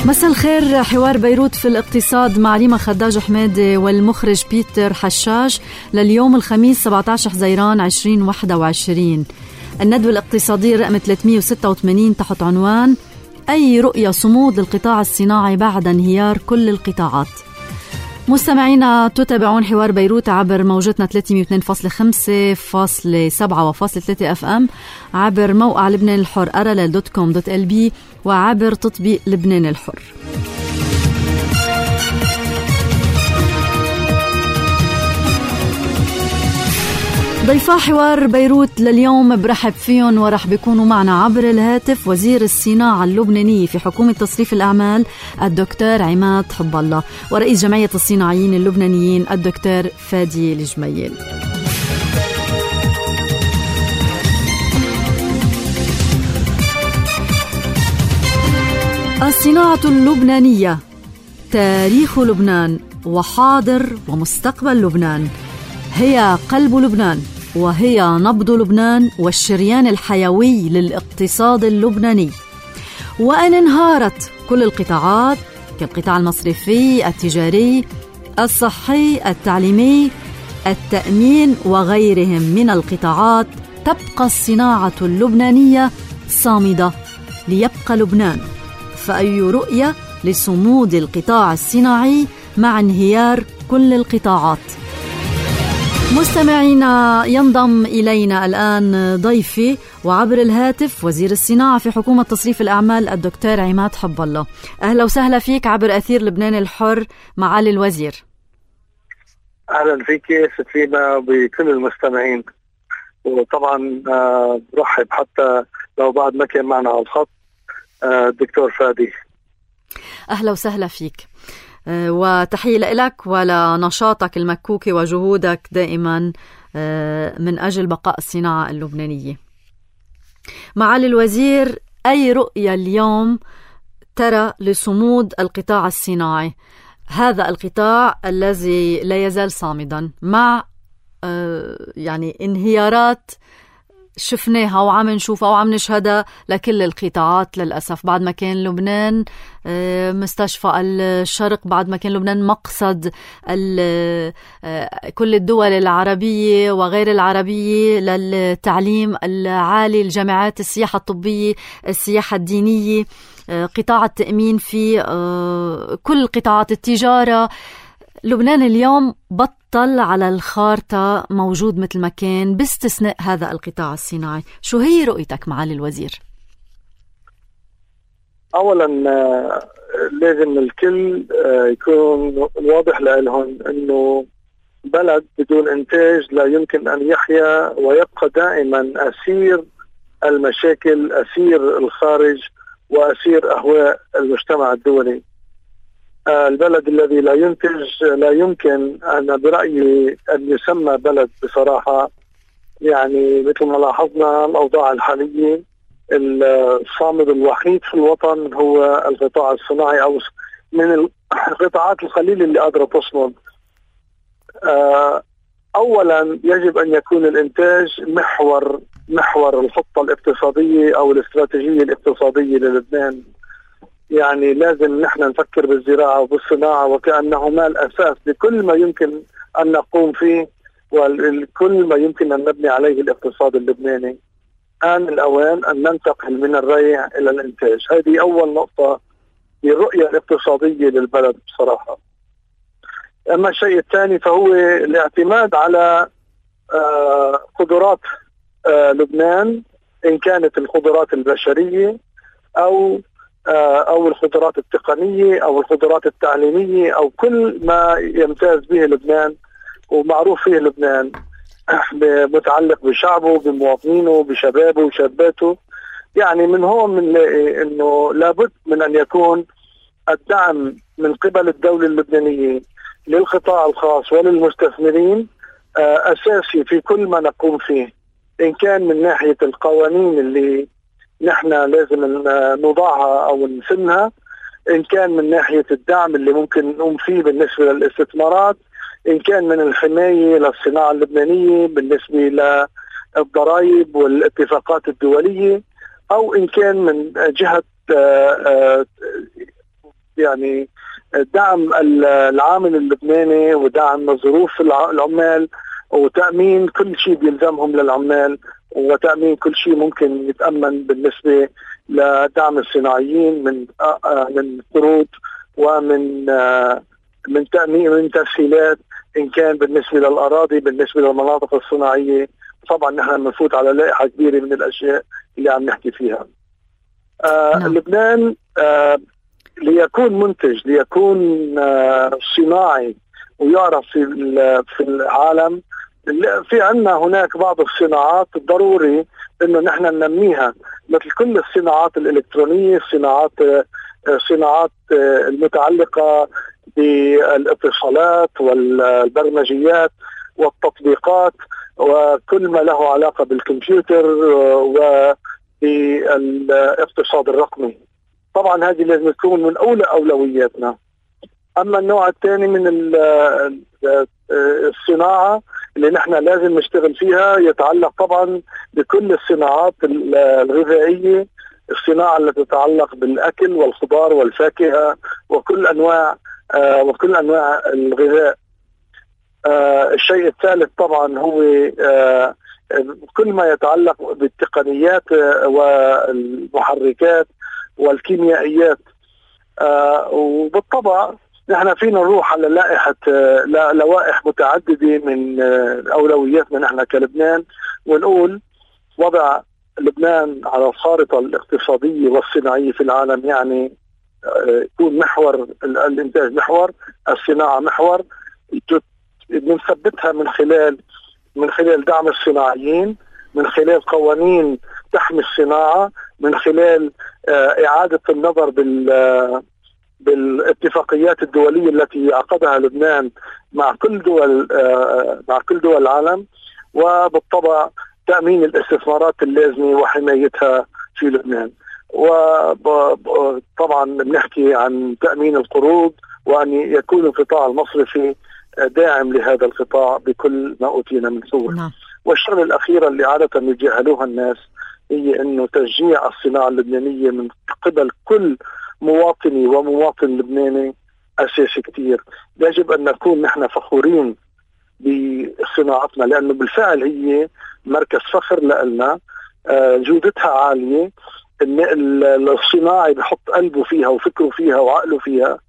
مساء الخير. حوار بيروت في الاقتصاد مع ليما خداج حمادي والمخرج بيتر حشاش لليوم الخميس 17 حزيران 2021. الندوة الاقتصادية رقم 386 تحت عنوان أي رؤية صمود للقطاع الصناعي بعد انهيار كل القطاعات. مستمعينا تتابعون حوار بيروت عبر موجتنا 302.5.7 و.3 FM، عبر موقع لبنان الحر rll.com.lb وعبر تطبيق لبنان الحر. ضيفا حوار بيروت لليوم برحب فيهم ورح بيكونوا معنا عبر الهاتف وزير الصناعة اللبنانية في حكومة تصريف الأعمال الدكتور عماد حب الله، ورئيس جمعية الصناعيين اللبنانيين الدكتور فادي الجميل. الصناعة اللبنانية، تاريخ لبنان وحاضر ومستقبل لبنان، هي قلب لبنان وهي نبض لبنان والشريان الحيوي للاقتصاد اللبناني. وأن انهارت كل القطاعات كالقطاع المصرفي، التجاري، الصحي، التعليمي، التأمين وغيرهم من القطاعات، تبقى الصناعة اللبنانية صامدة ليبقى لبنان. فأي رؤية لصمود القطاع الصناعي مع انهيار كل القطاعات؟ مستمعينا ينضم إلينا الآن ضيفي وعبر الهاتف وزير الصناعة في حكومة تصريف الأعمال الدكتور عماد حب الله. أهلا وسهلا فيك عبر أثير لبنان الحر معالي الوزير. أهلا فيك ستفينا بكل المستمعين، وطبعا برحب حتى لو بعد ما كان معنا على الخط الدكتور فادي. أهلا وسهلا فيك وتحية لك ولنشاطك المكوكي وجهودك دائما من أجل بقاء الصناعة اللبنانية. معالي الوزير، أي رؤية اليوم ترى لصمود القطاع الصناعي، هذا القطاع الذي لا يزال صامدا مع يعني انهيارات شفناها وعم نشوفها وعم نشهدها لكل القطاعات للأسف؟ بعد ما كان لبنان مستشفى الشرق، بعد ما كان لبنان مقصد كل الدول العربية وغير العربية للتعليم العالي، الجامعات، السياحة الطبية، السياحة الدينية، قطاع التأمين، في كل قطاعات التجارة. لبنان اليوم بطل على الخارطة موجود مثل ما كان باستثناء هذا القطاع الصناعي. شو هي رؤيتك معالي الوزير؟ أولا لازم الكل يكون واضح لهم أنه بلد بدون إنتاج لا يمكن أن يحيا، ويبقى دائما أسير المشاكل، أسير الخارج، وأسير أهواء المجتمع الدولي. البلد الذي لا ينتج لا يمكن أن برأيي أن يسمى بلد بصراحة. يعني مثل ما لاحظنا الأوضاع الحالية، الصامد الوحيد في الوطن هو القطاع الصناعي، أو من القطاعات القليلة اللي قادرة تصمد. أولا يجب أن يكون الإنتاج محور الخطة الاقتصادية أو الاستراتيجية الاقتصادية للبنان. يعني لازم نحن نفكر بالزراعة وبالصناعة وكأنهما الأساس لكل ما يمكن أن نقوم فيه وكل ما يمكن أن نبني عليه الاقتصاد اللبناني. آن الأوان أن ننتقل من الريع إلى الإنتاج. هذه أول نقطة للرؤية الاقتصادية للبلد بصراحة. أما الشيء الثاني فهو الاعتماد على قدرات لبنان، إن كانت القدرات البشرية أو القدرات التقنية أو القدرات التعليمية أو كل ما يمتاز به لبنان ومعروف فيه لبنان متعلق بشعبه، بمواطنينه، بشبابه وشاباته. يعني من هون بنلاقي إنه لابد من أن يكون الدعم من قبل الدولة اللبنانية للقطاع الخاص وللمستثمرين أساسي في كل ما نقوم فيه، إن كان من ناحية القوانين اللي نحن لازم نضعها أو نسنها، إن كان من ناحية الدعم اللي ممكن نقوم فيه بالنسبة للاستثمارات، إن كان من الحماية للصناعة اللبنانية بالنسبة للضرائب والاتفاقات الدولية، أو إن كان من جهة يعني دعم العامل اللبناني ودعم ظروف العمال وتأمين كل شيء بيلزمهم للعمال وتأمين كل شيء ممكن يتأمن بالنسبة لدعم الصناعيين من قروض ومن تأمين من تسهيلات إن كان بالنسبة للأراضي بالنسبة للمناطق الصناعية. طبعا نحن بنفوت على لائحة كبيرة من الأشياء اللي عم نحكي فيها. لبنان ليكون منتج ليكون صناعي ويعرف في العالم. في عنا هناك بعض الصناعات ضروري انه نحن ننميها مثل كل الصناعات الإلكترونية، الصناعات المتعلقة بالاتصالات والبرمجيات والتطبيقات وكل ما له علاقة بالكمبيوتر وبالاقتصاد الرقمي. طبعا هذه لازم تكون من أولى أولوياتنا. أما النوع الثاني من الصناعة اللي نحن لازم نشتغل فيها يتعلق طبعا بكل الصناعات الغذائية، الصناعة التي تتعلق بالأكل والخضار والفاكهة وكل أنواع الغذاء. الشيء الثالث طبعا هو كل ما يتعلق بالتقنيات والمحركات والكيميائيات. وبالطبع نحن فينا نروح على لوائح متعددة من أولوياتنا نحن كلبنان ونقول وضع لبنان على الخارطة الاقتصادية والصناعية في العالم، يعني يكون محور الإنتاج محور، الصناعة محور، بنثبتها من خلال دعم الصناعيين، من خلال قوانين تحمي الصناعة، من خلال إعادة النظر بالاتفاقيات الدولية التي عقدها لبنان مع كل دول العالم، وبالطبع تأمين الاستثمارات اللازمة وحمايتها في لبنان. وطبعا بنحكي عن تأمين القروض وأن يكون القطاع المصرفي داعم لهذا القطاع بكل ما أوتينا من قوة. والشغلة الأخيرة اللي عادة يجهلوها الناس هي أنه تشجيع الصناعة اللبنانية من قبل كل مواطني ومواطن لبناني أساسي كتير. يجب أن نكون نحن فخورين بصناعتنا لأنه بالفعل هي مركز فخر لنا، جودتها عالية، الصناعي بحط قلبه فيها وفكره فيها وعقله فيها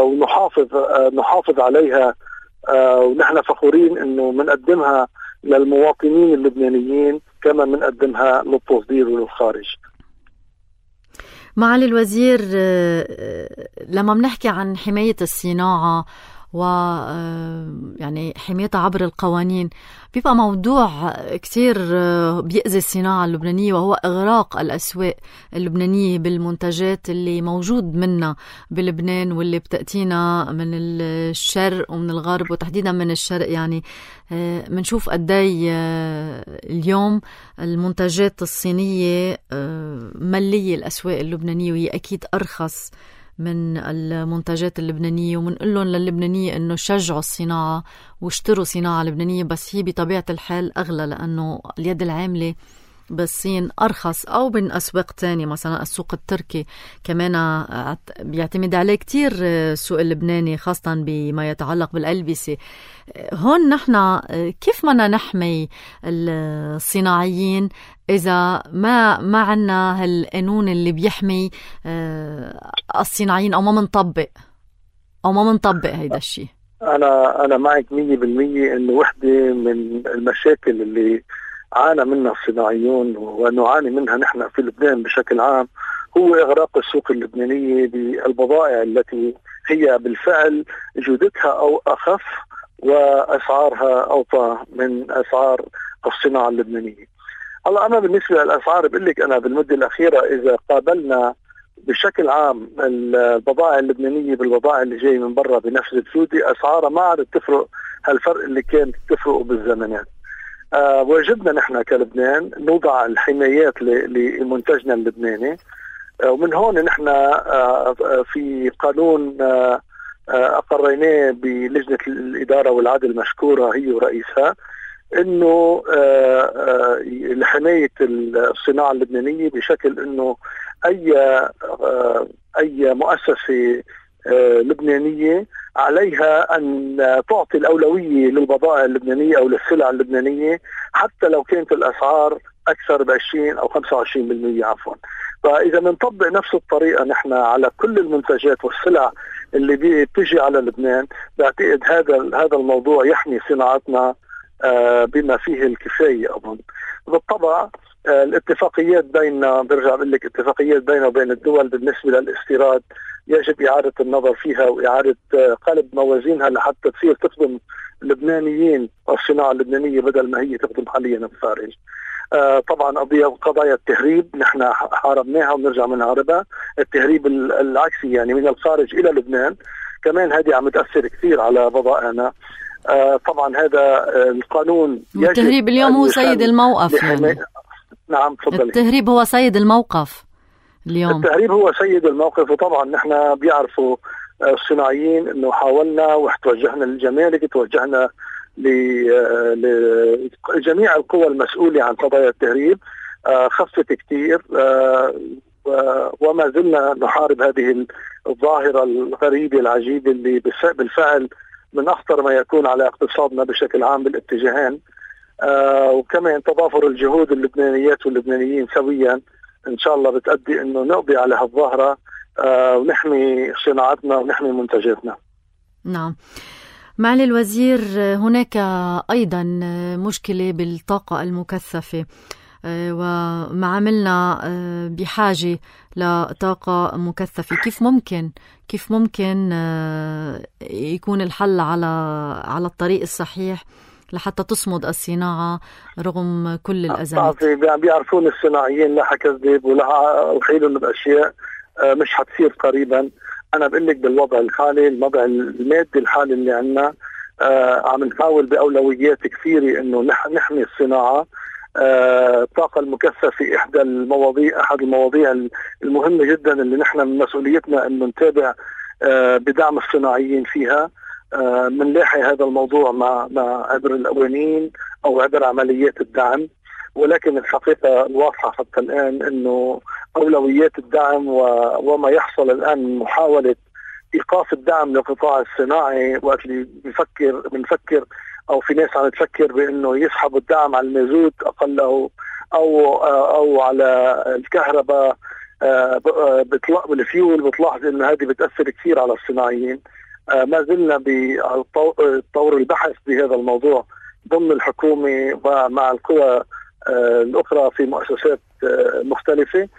ونحافظ عليها، ونحن فخورين انه منقدمها للمواطنين اللبنانيين كما منقدمها للتصدير وللخارج. معالي الوزير، لما بنحكي عن حماية الصناعة يعني حمايتها عبر القوانين بيبقى موضوع كتير بيأذي الصناعة اللبنانية، وهو إغراق الأسواق اللبنانية بالمنتجات اللي موجود منها بلبنان واللي بتأتينا من الشرق ومن الغرب وتحديدا من الشرق. يعني منشوف قدي اليوم المنتجات الصينية ملية الأسواق اللبنانية، وهي أكيد أرخص من المنتجات اللبنانية، ومنقول لهم للبنانية انه شجعوا الصناعة واشتروا صناعة لبنانية، بس هي بطبيعة الحال اغلى لانه اليد العاملة بالصين ارخص، او من اسواق تانية مثلا السوق التركي كمان بيعتمد عليه كتير السوق اللبناني خاصة بما يتعلق بالألبسة. هون نحن كيف بدنا نحمي الصناعيين إذا ما عنا هالقانون اللي بيحمي الصناعيين، أو ما منطبق هيدا الشيء؟ أنا معك 100% إنه وحدة من المشاكل اللي عانى منها الصناعيون ونعاني منها نحن في لبنان بشكل عام هو إغراق السوق اللبنانية بالبضائع التي هي بالفعل جودتها أو أخف وأسعارها أوطى من أسعار الصناعة اللبنانية. هلا أنا بالنسبة للأسعار بقول لك أنا بالمدة الأخيرة إذا قابلنا بشكل عام البضائع اللبنانية بالبضائع اللي جاي من برا بنفس الجودة، أسعارها ما عادت تفرق هالفرق اللي كانت تفرقه بالزمانات. واجبنا نحن كلبنان نوضع الحمايات لمنتجنا اللبناني، ومن هون نحن في قانون أقريناه بلجنة الإدارة والعدل مشكورة هي ورئيسها انه لحماية الصناعة اللبنانية بشكل انه أي مؤسسة لبنانية عليها أن تعطي الأولوية للبضائع اللبنانية أو للسلع اللبنانية، حتى لو كانت الأسعار أكثر ب20 أو 25% عفوا. فإذا بنطبق نفس الطريقة نحن على كل المنتجات والسلع اللي بتجي على لبنان، بعتقد هذا الموضوع يحمي صناعتنا بما فيه الكفاية. أظن بالطبع الاتفاقيات بيننا، برجع بقول لك اتفاقيات بيننا وبين الدول بالنسبة للاستيراد يجب إعادة النظر فيها وإعادة قلب موازينها لحتى تصير تخدم اللبنانيين والصناعة اللبنانية بدل ما هي تخدم حاليا الخارج. طبعا قضايا التهريب نحن حاربناها ونرجع بنحاربها، التهريب العكسي يعني من الخارج إلى لبنان كمان هذه عم تأثر كثير على بضائعنا. طبعا هذا القانون التهريب اليوم هو سيد الموقف يعني. نعم تفضلي. التهريب هو سيد الموقف اليوم. التهريب هو سيد الموقف، وطبعا نحن بيعرفوا الصناعيين انه حاولنا وتوجهنا للجمارك، توجهنا لجميع القوى المسؤولة عن قضايا التهريب، خفت كثير، وما زلنا نحارب هذه الظاهرة الغريبة العجيبة اللي بالفعل من أخطر ما يكون على اقتصادنا بشكل عام بالاتجاهين. وكمان تضافر الجهود اللبنانيات واللبنانيين سويا إن شاء الله بتأدي إنه نقضي على هالظاهرة ونحمي صناعتنا ونحمي منتجاتنا. نعم. معالي الوزير، هناك أيضا مشكلة بالطاقة المكثفة، ومعاملنا بحاجة لطاقة مكثفة. كيف ممكن يكون الحل على الطريق الصحيح لحتى تصمد الصناعة رغم كل الأزمات؟ بيعرفون الصناعيين لا حكذب ولا أحيلهم بأشياء مش حتصير قريبا. أنا بقول لك بالوضع الحالي، الوضع المادي الحالي اللي عنا، عم نحاول بأولويات كثيرة إنه نحمي الصناعة. الطاقة المكثفة أحد المواضيع المهمة جدا اللي نحن من مسؤوليتنا إنه نتابع بدعم الصناعيين فيها. منلاحي هذا الموضوع مع عبر القوانين أو عبر عمليات الدعم، ولكن الحقيقة الواضحة حتى الآن إنه أولويات الدعم وما يحصل الآن من محاولة إيقاف الدعم للقطاع الصناعي، وقت اللي بنفكر أو في ناس عم تفكر بأنه يسحبوا الدعم على المازوت أقله أو على الكهرباء بالفيول، بتلاحظ إنه هذه بتأثر كثير على الصناعيين. ما زلنا بطور البحث بهذا الموضوع ضمن الحكومة ومع القوى الأخرى في مؤسسات مختلفة.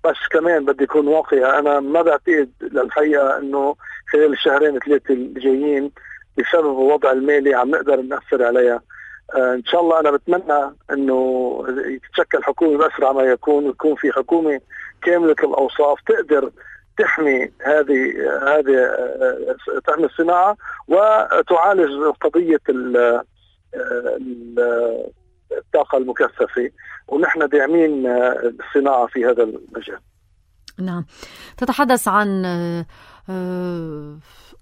بس كمان بدي يكون واقعي، أنا ما بعتقد للحقيقة أنه خلال الشهرين 3 الجايين بسبب الوضع المالي عم نقدر نأثر عليها. إن شاء الله أنا بتمنى أنه تتشكل حكومة بأسرع ما يكون، ويكون في حكومة كاملة الأوصاف تقدر تحمي تحمي الصناعة وتعالج قضية الطاقة المكثفة، ونحن داعمين الصناعة في هذا المجال. نعم. تتحدث عن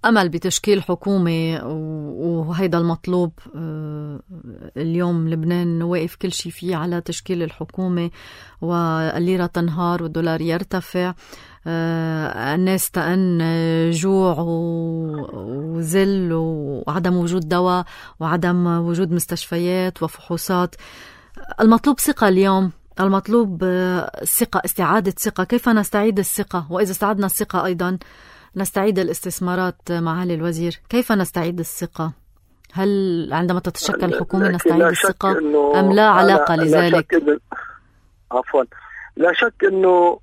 أمل بتشكيل حكومة، وهيدا المطلوب اليوم. لبنان واقف كل شيء فيه على تشكيل الحكومة، والليرة تنهار والدولار يرتفع، الناس تأن جوع وذل وعدم وجود دواء وعدم وجود مستشفيات وفحوصات. المطلوب ثقة اليوم، المطلوب ثقة، استعادة ثقة. كيف نستعيد الثقة؟ وإذا استعدنا الثقة أيضا نستعيد الاستثمارات. معالي الوزير، كيف نستعيد الثقة؟ هل عندما تتشكل حكومة نستعيد الثقة أم لا علاقة لذلك؟ عفوا، لا شك أنه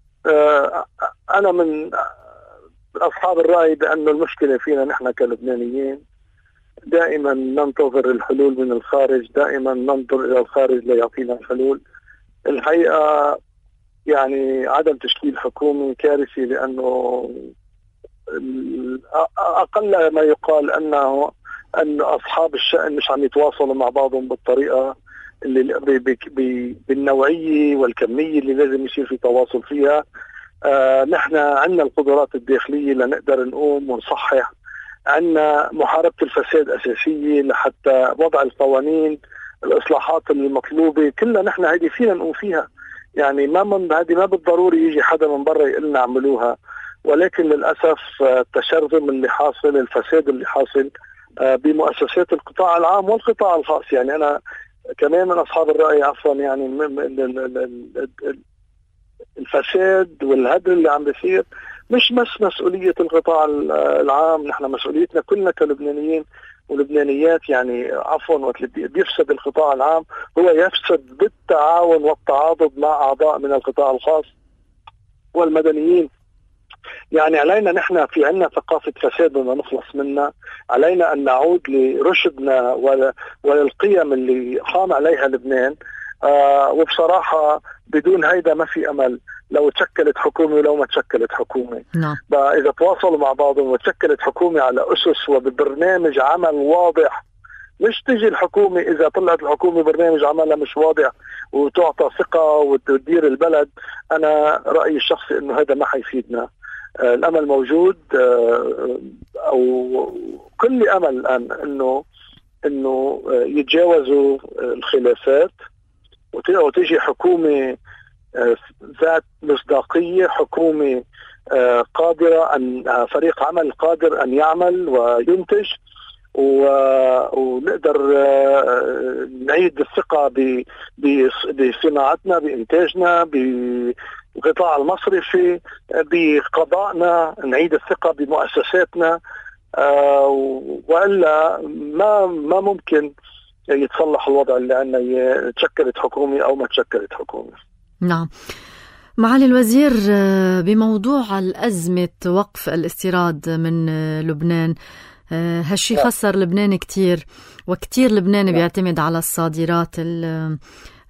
أنا من أصحاب الرأي بأن المشكلة فينا نحن كلبنانيين، دائما ننتظر الحلول من الخارج، دائما ننظر إلى الخارج ليعطينا الحلول. الحقيقة يعني عدم تشكيل حكومة كارثي، لأنه أقل ما يقال أن أصحاب الشأن مش عم يتواصلوا مع بعضهم بالطريقة اللي بالنوعية والكمية اللي لازم يصير في تواصل فيها. نحن عندنا القدرات الداخلية لنقدر نقوم ونصحح، عندنا محاربة الفساد أساسية لحتى وضع القوانين، الإصلاحات المطلوبة كلها نحن هذه فينا نقوم فيها. يعني هذه ما بالضروري يجي حدا من برا يقول لنا اعملوها، ولكن للأسف التشرذم اللي حاصل، الفساد اللي حاصل بمؤسسات القطاع العام والقطاع الخاص. يعني أنا كمان من أصحاب الرأي عفوا، يعني الفساد والهدر اللي عم بيصير مش بس مسؤولية القطاع العام، نحن مسؤوليتنا كلنا كلبنانيين ولبنانيات. يعني عفوا وقت بيفسد القطاع العام هو يفسد بالتعاون والتعاضد مع أعضاء من القطاع الخاص والمدنيين. يعني علينا نحن في عنا ثقافة فساد بدنا نخلص منها، علينا أن نعود لرشدنا وللقيم اللي قام عليها لبنان. وبصراحة بدون هيدا ما في أمل، لو تشكلت حكومة ولو ما تشكلت حكومة. إذا تواصلوا مع بعضهم وتشكلت حكومة على أسس وببرنامج عمل واضح، مش تجي الحكومة إذا طلعت الحكومة برنامج عملها مش واضح وتعطى ثقة وتدير البلد. أنا رأيي الشخصي إنه هذا ما حيفيدنا. الأمل موجود، أو كل أمل الآن إنه يتجاوزوا الخلافات وتجي حكومة ذات مصداقية، حكومة قادرة فريق عمل قادر أن يعمل وينتج، ونقدر نعيد الثقة بصناعتنا، بإنتاجنا، بالقطاع المصرفي، بقضائنا، نعيد الثقة بمؤسساتنا. وإلا ما ممكن يتصلح الوضع اللي عندنا، تشكلت حكومة أو ما تشكلت حكومة. نعم. معالي الوزير، بموضوع الأزمة وقف الاستيراد من لبنان، هالشي خسر لبنان كتير، وكتير لبنان بيعتمد على الصادرات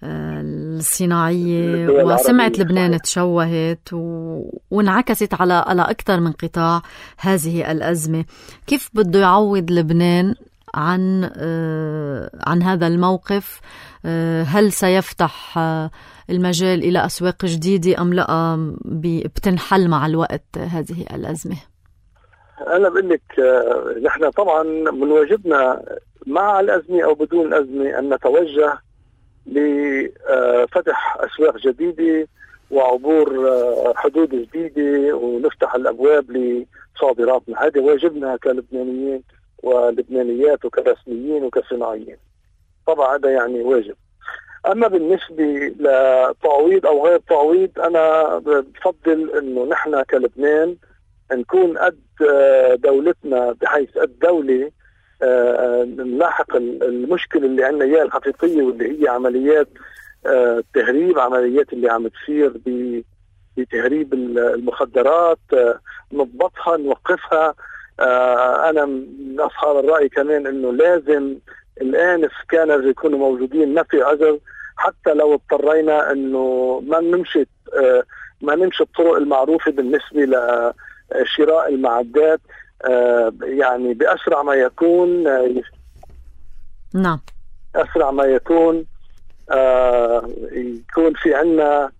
الصناعية، وسمعة لبنان تشوهت وانعكست على أكثر من قطاع هذه الأزمة. كيف بده يعوض لبنان عن هذا الموقف؟ هل سيفتح المجال إلى أسواق جديدة أم لا بتنحل مع الوقت هذه الأزمة؟ أنا بقول لك نحن طبعا من واجبنا مع الأزمة أو بدون الأزمة أن نتوجه لفتح أسواق جديدة وعبور حدود جديدة ونفتح الأبواب لصادراتنا. هذا واجبنا كلبنانيين ولبنانيات وكرسميين وكصناعيين، طبعا هذا يعني واجب. أما بالنسبة لتعويض أو غير تعويض، أنا بفضل أنه نحن كلبنان نكون قد دولتنا، بحيث الدولة نلاحق المشكلة اللي عندنا إياها الحقيقية، واللي هي عمليات التهريب، عمليات اللي عم تصير بتهريب المخدرات، نضبطها نوقفها. أنا من أصحاب الرأي كمان أنه لازم الآن السكانرز يكونوا موجودين، ما في عذر، حتى لو اضطرينا أنه ما نمشي الطرق المعروفة بالنسبة لشراء المعدات، يعني بأسرع ما يكون. نعم، أسرع ما يكون يكون في عنا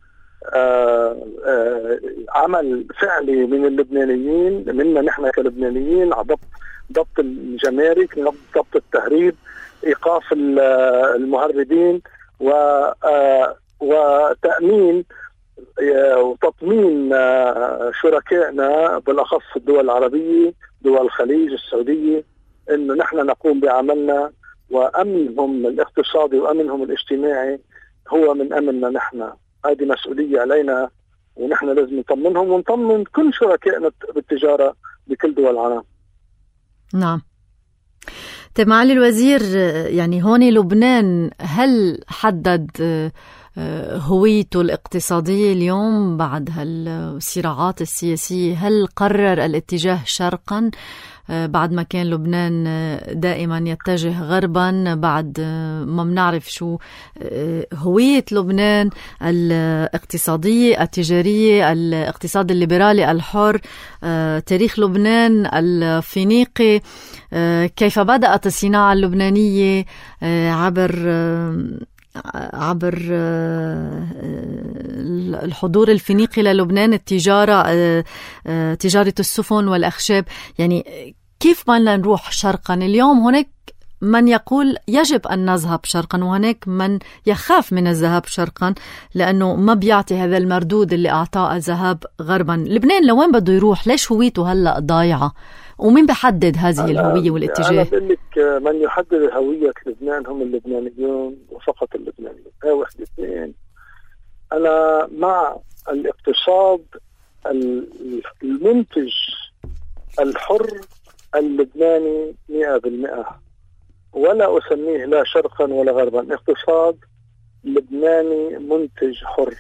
عمل فعلي من اللبنانيين، منا نحن كلبنانيين، على ضبط الجمارك، ضبط التهريب، إيقاف المهربين، وتأمين وتطمين شركائنا بالأخص الدول العربية، دول الخليج، السعودية، إنه نحن نقوم بعملنا، وأمنهم الاقتصادي وأمنهم الاجتماعي هو من أمننا نحن. هذه مسؤولية علينا، ونحن لازم نطمنهم ونطمن كل شركائنا بالتجارة بكل دول العالم. نعم. طيب معالي الوزير، يعني هون لبنان هل حدد هويته الاقتصادية اليوم بعد هالصراعات السياسية؟ هل قرر الاتجاه شرقا بعد ما كان لبنان دائما يتجه غربا؟ بعد ما بنعرف شو هوية لبنان الاقتصادية التجارية، الاقتصاد الليبرالي الحر، تاريخ لبنان الفينيقي، كيف بدأت الصناعة اللبنانية عبر الحضور الفينيقي للبنان، التجارة، تجارة السفن والأخشاب. يعني كيف بدنا نروح شرقا؟ اليوم هناك من يقول يجب أن نذهب شرقا، وهناك من يخاف من الذهاب شرقا لأنه ما بيعطي هذا المردود اللي أعطاه الذهاب غربا. لبنان لوين بده يروح؟ ليش هويته هلأ ضايعة؟ ومين بحدد هذه الهوية والاتجاه؟ أنا بقول لك من يحدد هوية لبنان هم اللبنانيون وفقط اللبنانيون. واحد اثنين، أنا مع الاقتصاد المنتج الحر اللبناني 100%، ولا أسميه لا شرقا ولا غربا، اقتصاد لبناني منتج حر.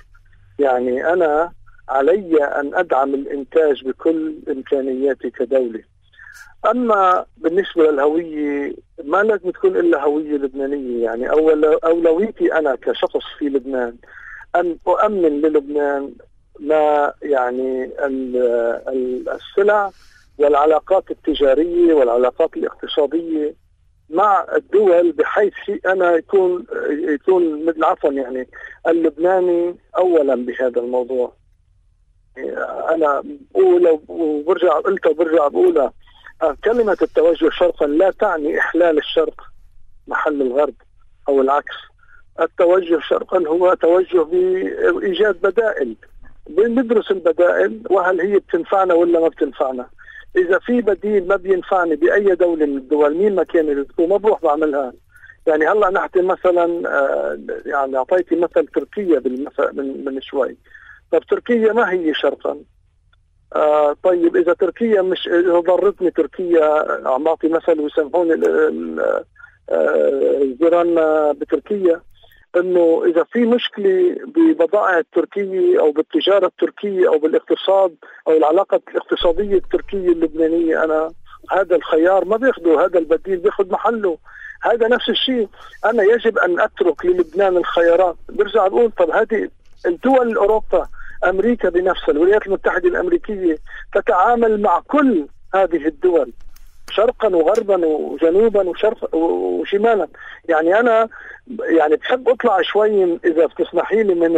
يعني أنا علي أن أدعم الإنتاج بكل إمكانياتي كدولة. أما بالنسبة للهوية ما لازم تكون إلا هوية لبنانية. يعني أولويتي أنا كشخص في لبنان أن أؤمن للبنان ما يعني السلع والعلاقات التجارية والعلاقات الاقتصادية مع الدول، بحيث أنا يكون مثل عفوا يعني اللبناني أولا بهذا الموضوع. أنا بقول وبرجع بقولها، كلمة التوجه شرقا لا تعني إحلال الشرق محل الغرب أو العكس. التوجه شرقا هو توجه بإيجاد بدائل، بندرس البدائل وهل هي بتنفعنا ولا ما بتنفعنا. إذا في بديل ما بينفعني بأي دولة من الدول مين ما كان ما بروح بعملها. يعني هلا نحكي مثلا يعني أعطيتي مثل تركيا من شوي. طب تركيا ما هي شرقا؟ طيب إذا تركيا مش ضرتني تركيا، عم بعطي مثل ويسمحوني جيراننا بتركيا، انه اذا في مشكله ببضائع التركيه او بالتجاره التركيه او بالاقتصاد او العلاقه الاقتصاديه التركيه اللبنانيه، انا هذا الخيار ما بياخده، هذا البديل بياخد محله. هذا نفس الشيء، انا يجب ان اترك للبنان الخيارات. برجع بقول طب هذه الدول اوروبا، امريكا بنفسها، الولايات المتحده الامريكيه تتعامل مع كل هذه الدول شرقا وغربا وجنوبا وشمالا. يعني انا يعني بحب اطلع شوي اذا بتسمحي لي من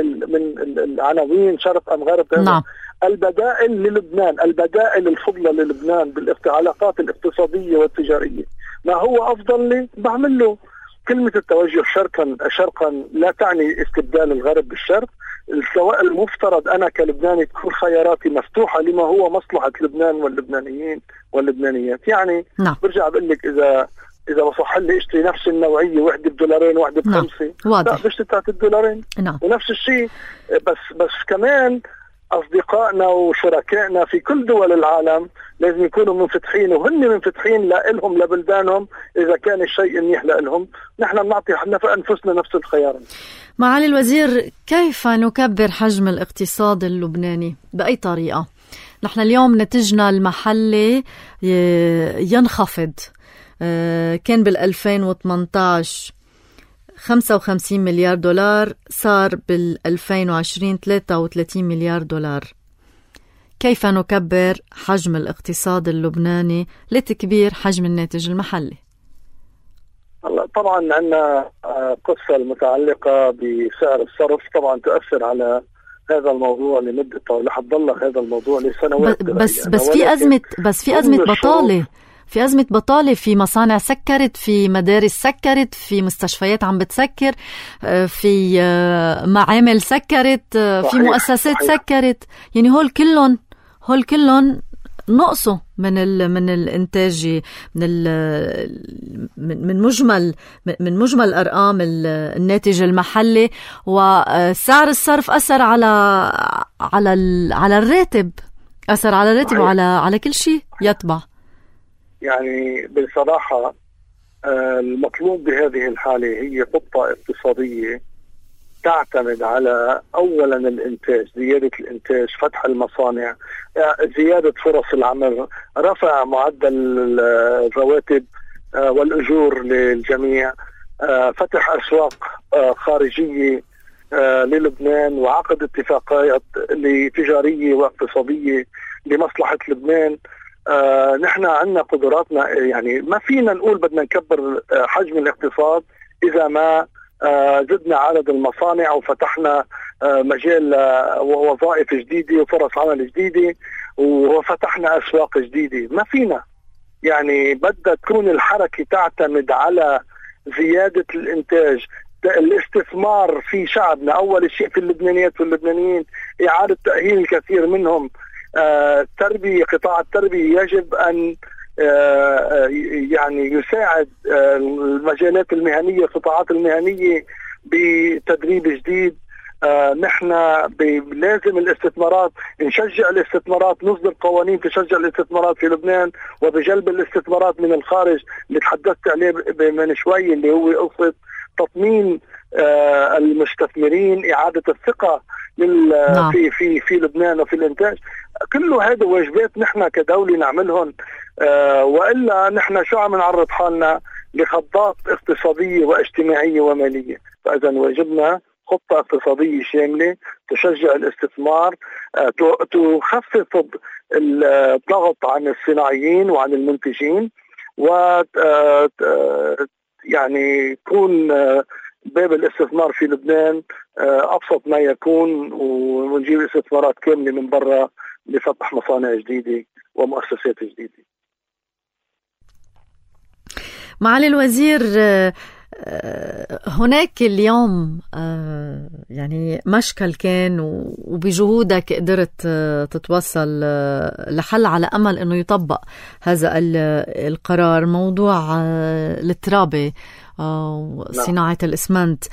العناوين شرق ام غرب. نعم. البدائل للبنان، البدائل الفضلى للبنان بالعلاقات الاقتصاديه والتجاريه، ما هو افضل لي بعمل له. كلمه التوجه شرقا لا تعني استبدال الغرب بالشرق. سواء المفترض أنا كلبناني تكون خياراتي مفتوحة لما هو مصلحة لبنان واللبنانيين واللبنانيات. يعني نعم. برجع بقول لك إذا بصح لي اشتري نفس النوعية، واحدة $2 وواحدة ب5، لا بشتري بتاعت $2. نعم. ونفس الشيء بس كمان أصدقائنا وشركائنا في كل دول العالم لازم يكونوا منفتحين، وهن منفتحين لهم لبلدانهم. إذا كان الشيء منيح لهم نحن بنعطي أنفسنا نفس الخيار. معالي الوزير، كيف نكبر حجم الاقتصاد اللبناني؟ بأي طريقة؟ نحن اليوم نتجنا المحلي ينخفض. كان بال2018 $55 مليار، صار بال2020 $33 مليار. كيف نكبر حجم الاقتصاد اللبناني لتكبير حجم الناتج المحلي؟ طبعا عندنا قصة المتعلقة بسعر الصرف طبعا تؤثر على هذا الموضوع لمدة طويلة، حتضل هذا الموضوع لسنوات. بس في أزمة بطالة، في أزمة بطالة، في مصانع سكرت، في مدارس سكرت، في مستشفيات عم بتسكر، في معامل سكرت، في مؤسسات سكرت. يعني هول كلهم نقصوا من الانتاج، من مجمل ارقام الناتج المحلي. وسعر الصرف اثر على الراتب، اثر على الراتب وعلى كل شيء يتبع. يعني بصراحه المطلوب بهذه الحاله هي خطه اقتصاديه تعتمد على أولا الإنتاج، زيادة الإنتاج، فتح المصانع، زيادة فرص العمل، رفع معدل الرواتب والأجور للجميع، فتح أسواق خارجية للبنان، وعقد اتفاقات تجارية واقتصادية لمصلحة لبنان. نحن عندنا قدراتنا، يعني ما فينا نقول بدنا نكبر حجم الاقتصاد إذا ما زدنا عدد المصانع وفتحنا مجال ووظائف جديدة وفرص عمل جديدة وفتحنا أسواق جديدة. ما فينا يعني بدها تكون الحركة تعتمد على زيادة الإنتاج، الاستثمار في شعبنا أول شيء، في اللبنانيات واللبنانيين، إعادة تأهيل الكثير منهم، التربية، قطاع التربية يجب أن يعني يساعد المجالات المهنية، القطاعات المهنية بتدريب جديد. نحن لازم الاستثمارات، نشجع الاستثمارات، نصدر قوانين تشجع الاستثمارات في لبنان وبجلب الاستثمارات من الخارج اللي تحدثت عليه من شوي، اللي هو قصة تطمين المستثمرين، إعادة الثقة في لبنان وفي الإنتاج. كله هذا واجبات نحن كدولة نعملهم، وإلا نحن شو عم نعرض حالنا لخضات اقتصادية واجتماعية ومالية. فإذا واجبنا خطة اقتصادية شاملة تشجع الاستثمار، تخفف الضغط عن الصناعيين وعن المنتجين، و يعني يكون باب الاستثمار في لبنان أبسط ما يكون، ونجيب استثمارات كاملة من برا لفتح مصانع جديدة ومؤسسات جديدة. معالي الوزير، هناك اليوم يعني مشكل كان، وبجهودك قدرت تتوصل لحل على أمل أنه يطبق هذا القرار، موضوع الترابة وصناعة الإسمنت.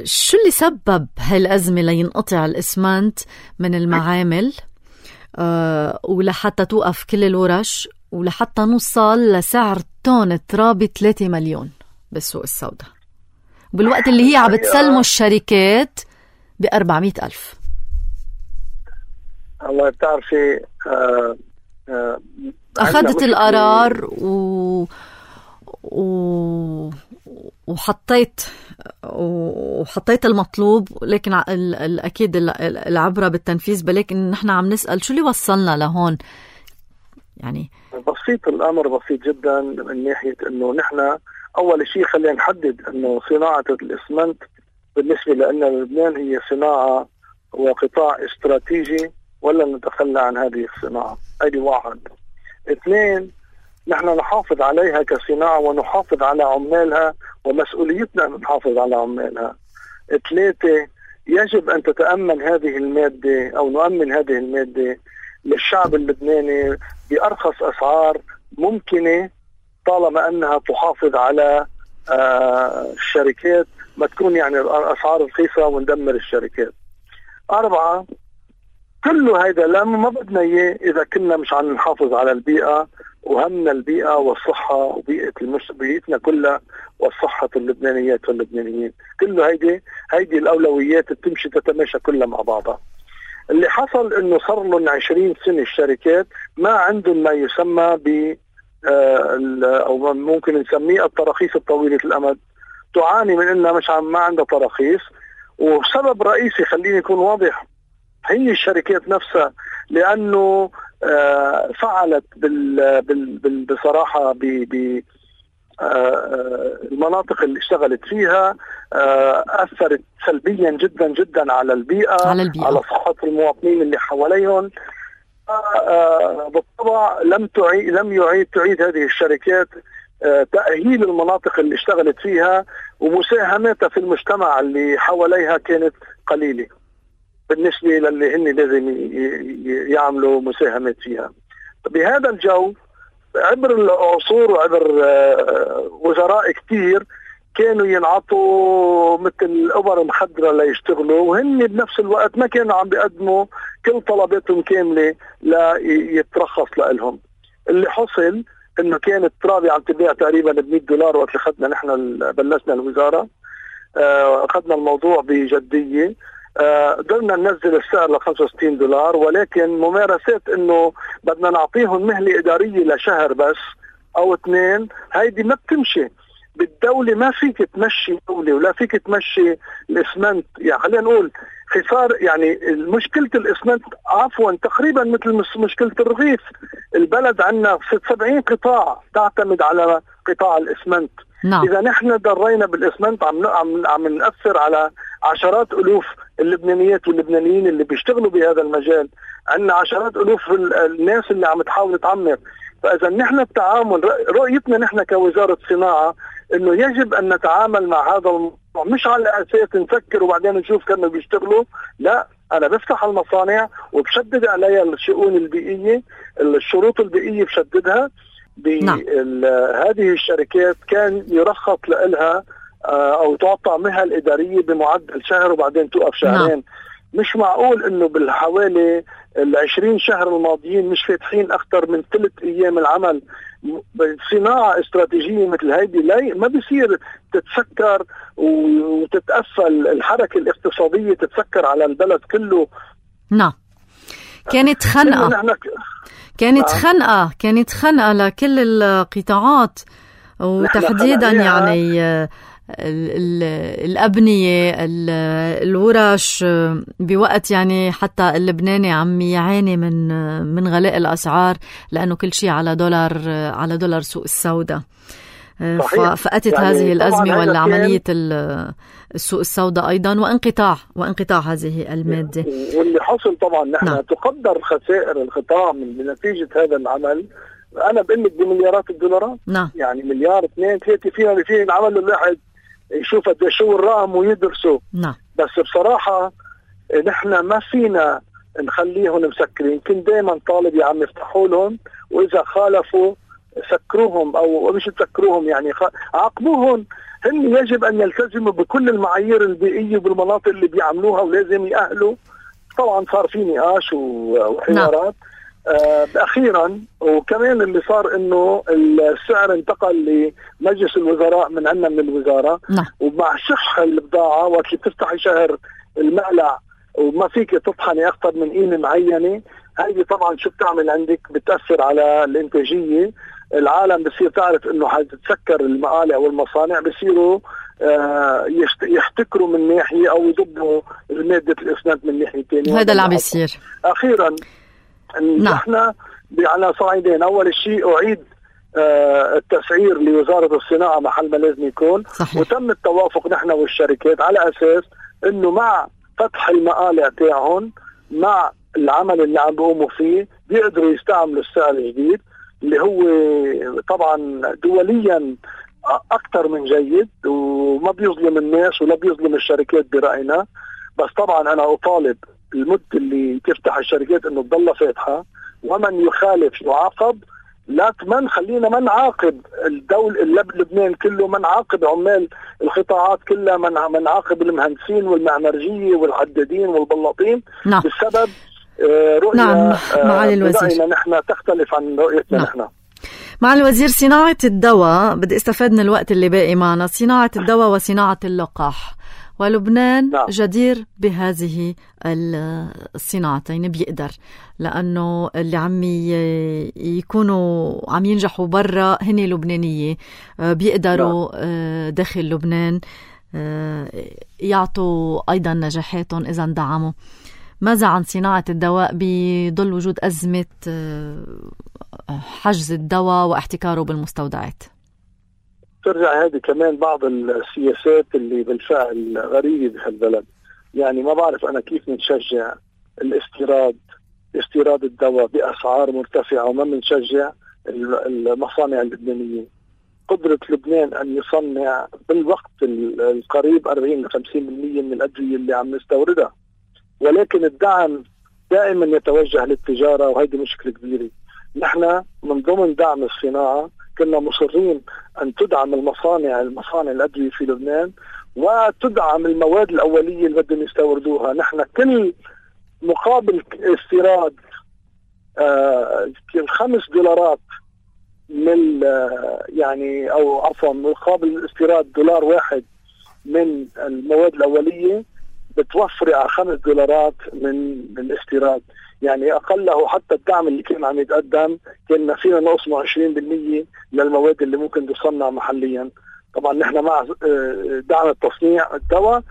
شو اللي سبب هالأزمة لينقطع الإسمنت من المعامل ولحتى توقف كل الورش، ولحتى نوصل لسعر طن ترابة 3 مليون بالسوق السوداء، بالوقت اللي هي عم بتسلموا الشركات ب400,000؟ الله بتعرفي، أخذت القرار وحطيت المطلوب، لكن أكيد العبرة بالتنفيذ. بلكن نحن عم نسأل شو اللي وصلنا لهون؟ يعني بسيط، الأمر بسيط جدا من ناحية أنه نحن أول شيء خلينا نحدد أنه صناعة الإسمنت بالنسبة لنا لبنان هي صناعة وقطاع استراتيجي، ولا نتخلى عن هذه الصناعة. هذه واحد. 2، نحن نحافظ عليها كصناعة ونحافظ على عمالها، ومسؤوليتنا أن نحافظ على عمالها. 3، يجب أن تتأمن هذه المادة أو نؤمن هذه المادة للشعب اللبناني بأرخص أسعار ممكنة، طالما أنها تحافظ على الشركات، ما تكون يعني الأسعار رخيصة وندمر الشركات. 4، كله هيدا لما ما بدنا إياه إذا كنا مش عم نحافظ على البيئة، وهمنا البيئة والصحة وبيئة بيئتنا كلها والصحة اللبنانيات واللبنانيين. كله هيدي الأولويات تمشي تتماشى كلها مع بعضها. اللي حصل انه صار لهم 20 سنة الشركات ما عندهم ما يسمى ب او ممكن نسميه التراخيص الطويلة الامد، تعاني من انها ما عندها تراخيص. وسبب رئيسي، خليني يكون واضح، هي الشركات نفسها، لانه فعلت بصراحة المناطق اللي اشتغلت فيها أثرت سلبيا جدا جدا على البيئة، على صحة المواطنين اللي حواليهم. بالطبع لم تعيد هذه الشركات تأهيل المناطق اللي اشتغلت فيها، ومساهمتها في المجتمع اللي حواليها كانت قليلة بالنسبة للي هن لازم يعملوا مساهمات فيها. بهذا الجو، عبر العصور وعبر وزراء كتير كانوا ينعطوا مثل أبر مخدرة ليشتغلوا، وهن بنفس الوقت ما كانوا عم بيقدموا كل طلباتهم كاملة ليترخص لهم. اللي حصل انه كانت ترابي عم تبيع تقريبا $100 وقت خدنا نحن بلشنا الوزارة، اخذنا الموضوع بجدية، قدرنا ننزل السعر $65، ولكن ممارسات انه بدنا نعطيهم مهلة إدارية لشهر بس او 2، هيدي ما بتمشي بالدولة. ما فيك تمشي دولة ولا فيك تمشي الإسمنت، يعني خلينا نقول خسار. يعني مشكلة الإسمنت عفوا تقريبا مثل مشكلة الرغيف. البلد عندنا 70 قطاع تعتمد على قطاع الإسمنت. إذا نحن ضرينا بالإسمنت عم نأثر على عشرات ألوف اللبنانيات واللبنانيين اللي بيشتغلوا بهذا المجال. عندنا عشرات ألوف الناس اللي عم تحاول تعمر. فإذا نحن التعامل، رؤيتنا نحن كوزارة صناعة إنه يجب أن نتعامل مع هذا الموضوع مش على أساس نفكر وبعدين نشوف كانوا بيشتغلوا. لا، أنا بفتح المصانع وبشدد عليها الشؤون البيئية، الشروط البيئية بشددها. هذه الشركات كان يرخص لها أو تعطى مهل إدارية بمعدل شهر وبعدين توقف شهرين. مش معقول إنه بالحوالي 20 شهر الماضيين مش فاتحين أكثر من 3 أيام العمل. صناعة استراتيجية مثل هيدي ما بيصير تتسكر وتتقفل الحركة الاقتصادية، تتسكر على البلد كله. نعم، كانت خنقة لكل القطاعات، وتحديدا يعني الأبنية، الورش، بوقت يعني حتى اللبناني عم يعاني من غلاء الأسعار لأنه كل شيء على دولار سوق السوداء. فأتت يعني هذه الأزمة ولا عملية السوق السوداء أيضا وانقطاع هذه المادة. واللي حصل طبعا نحن تقدر خسائر القطاع بنتيجة هذا العمل. أنا بقول لك بمليارات الدولارات. يعني مليار 2 3 فينا العمل الواحد يشوف قد شو الرقم ويدرسه. بس بصراحة نحن ما فينا نخليهم مسكرين. يمكن دائما طالب يا عم يفتحوا لهم، وإذا خالفوا سكروهم أو مش تسكروهم يعني عاقبوهم. هم يجب أن يلتزموا بكل المعايير البيئية بالمناطق اللي بيعملوها، ولازم يأهلوا. طبعا صار في نقاش وحوارات أخيرا. وكمان اللي صار إنه السعر انتقل لمجلس الوزراء من عندنا من الوزارة. ومع شح البضاعة وقت اللي بتفتحي شهر المقلع وما فيك تطحني أكثر من قيمة معينة، هذه طبعا شو بتعمل عندك؟ بتأثر على الإنتاجية. العالم بصير تعرف إنه حتتسكر المقالع والمصانع، بصيروا يحتكروا من ناحية أو يضبوا مادة الإسمنت من ناحية تانية. هذا اللي عم يصير. أخيرا نحن على صعيدين. أول شيء أعيد التسعير لوزارة الصناعة محل ما لازم يكون. وتم التوافق نحن والشركات على أساس إنه مع فتح المقالع تاعهم مع العمل اللي عم بيقوموا فيه بيقدروا يستعملوا السعر الجديد اللي هو طبعا دوليا أكثر من جيد، وما بيظلم الناس ولا بيظلم الشركات برأينا. بس طبعا أنا أطالب المدة اللي تفتح الشركات إنه تضل فاتحة، ومن يخالف يعاقب. لا خلينا ما نعاقب لبنان كله، ما نعاقب عمال القطاعات كلها، ما نعاقب المهندسين والمعمرجية والحدادين والبلاطين. بسبب رؤية معالي الوزير نحن تختلف عن رؤيتنا. نحن معالي الوزير، صناعة الدواء، بدي استفاد من الوقت اللي باقي معنا. صناعة الدواء وصناعة اللقاح، ولبنان جدير بهذه الصناعتين، بيقدر، لأنه اللي عم يكونوا عم ينجحوا برا هن لبنانية، بيقدروا داخل لبنان يعطوا أيضا نجاحاتهم إذا اندعموا. ماذا عن صناعة الدواء؟ بيضل وجود أزمة حجز الدواء واحتكاره بالمستودعات. ترجع هذه كمان بعض السياسات اللي بالفعل غريبة بهالبلد. يعني ما بعرف أنا كيف نشجع استيراد الدواء بأسعار مرتفعة وما نشجع المصانع اللبنانية. قدرة لبنان أن يصنع بالوقت القريب 40-50% من الأدوية اللي عم نستوردها، ولكن الدعم دائما يتوجه للتجارة، وهذه مشكلة كبيرة. نحن من ضمن دعم الصناعة كنا مصرين أن تدعم المصانع الأدوية في لبنان، وتدعم المواد الأولية اللي بدهم يستوردوها. نحن كل مقابل استيراد $5 من يعني أو عفوا مقابل استيراد $1 من المواد الأولية بتوفر على $5 من الاستيراد. يعني أقله حتى الدعم اللي كان عم يتقدم كنا فينا نقسمه 20% للمواد اللي ممكن تصنع محليا. طبعا نحن مع دعم التصنيع الدواء،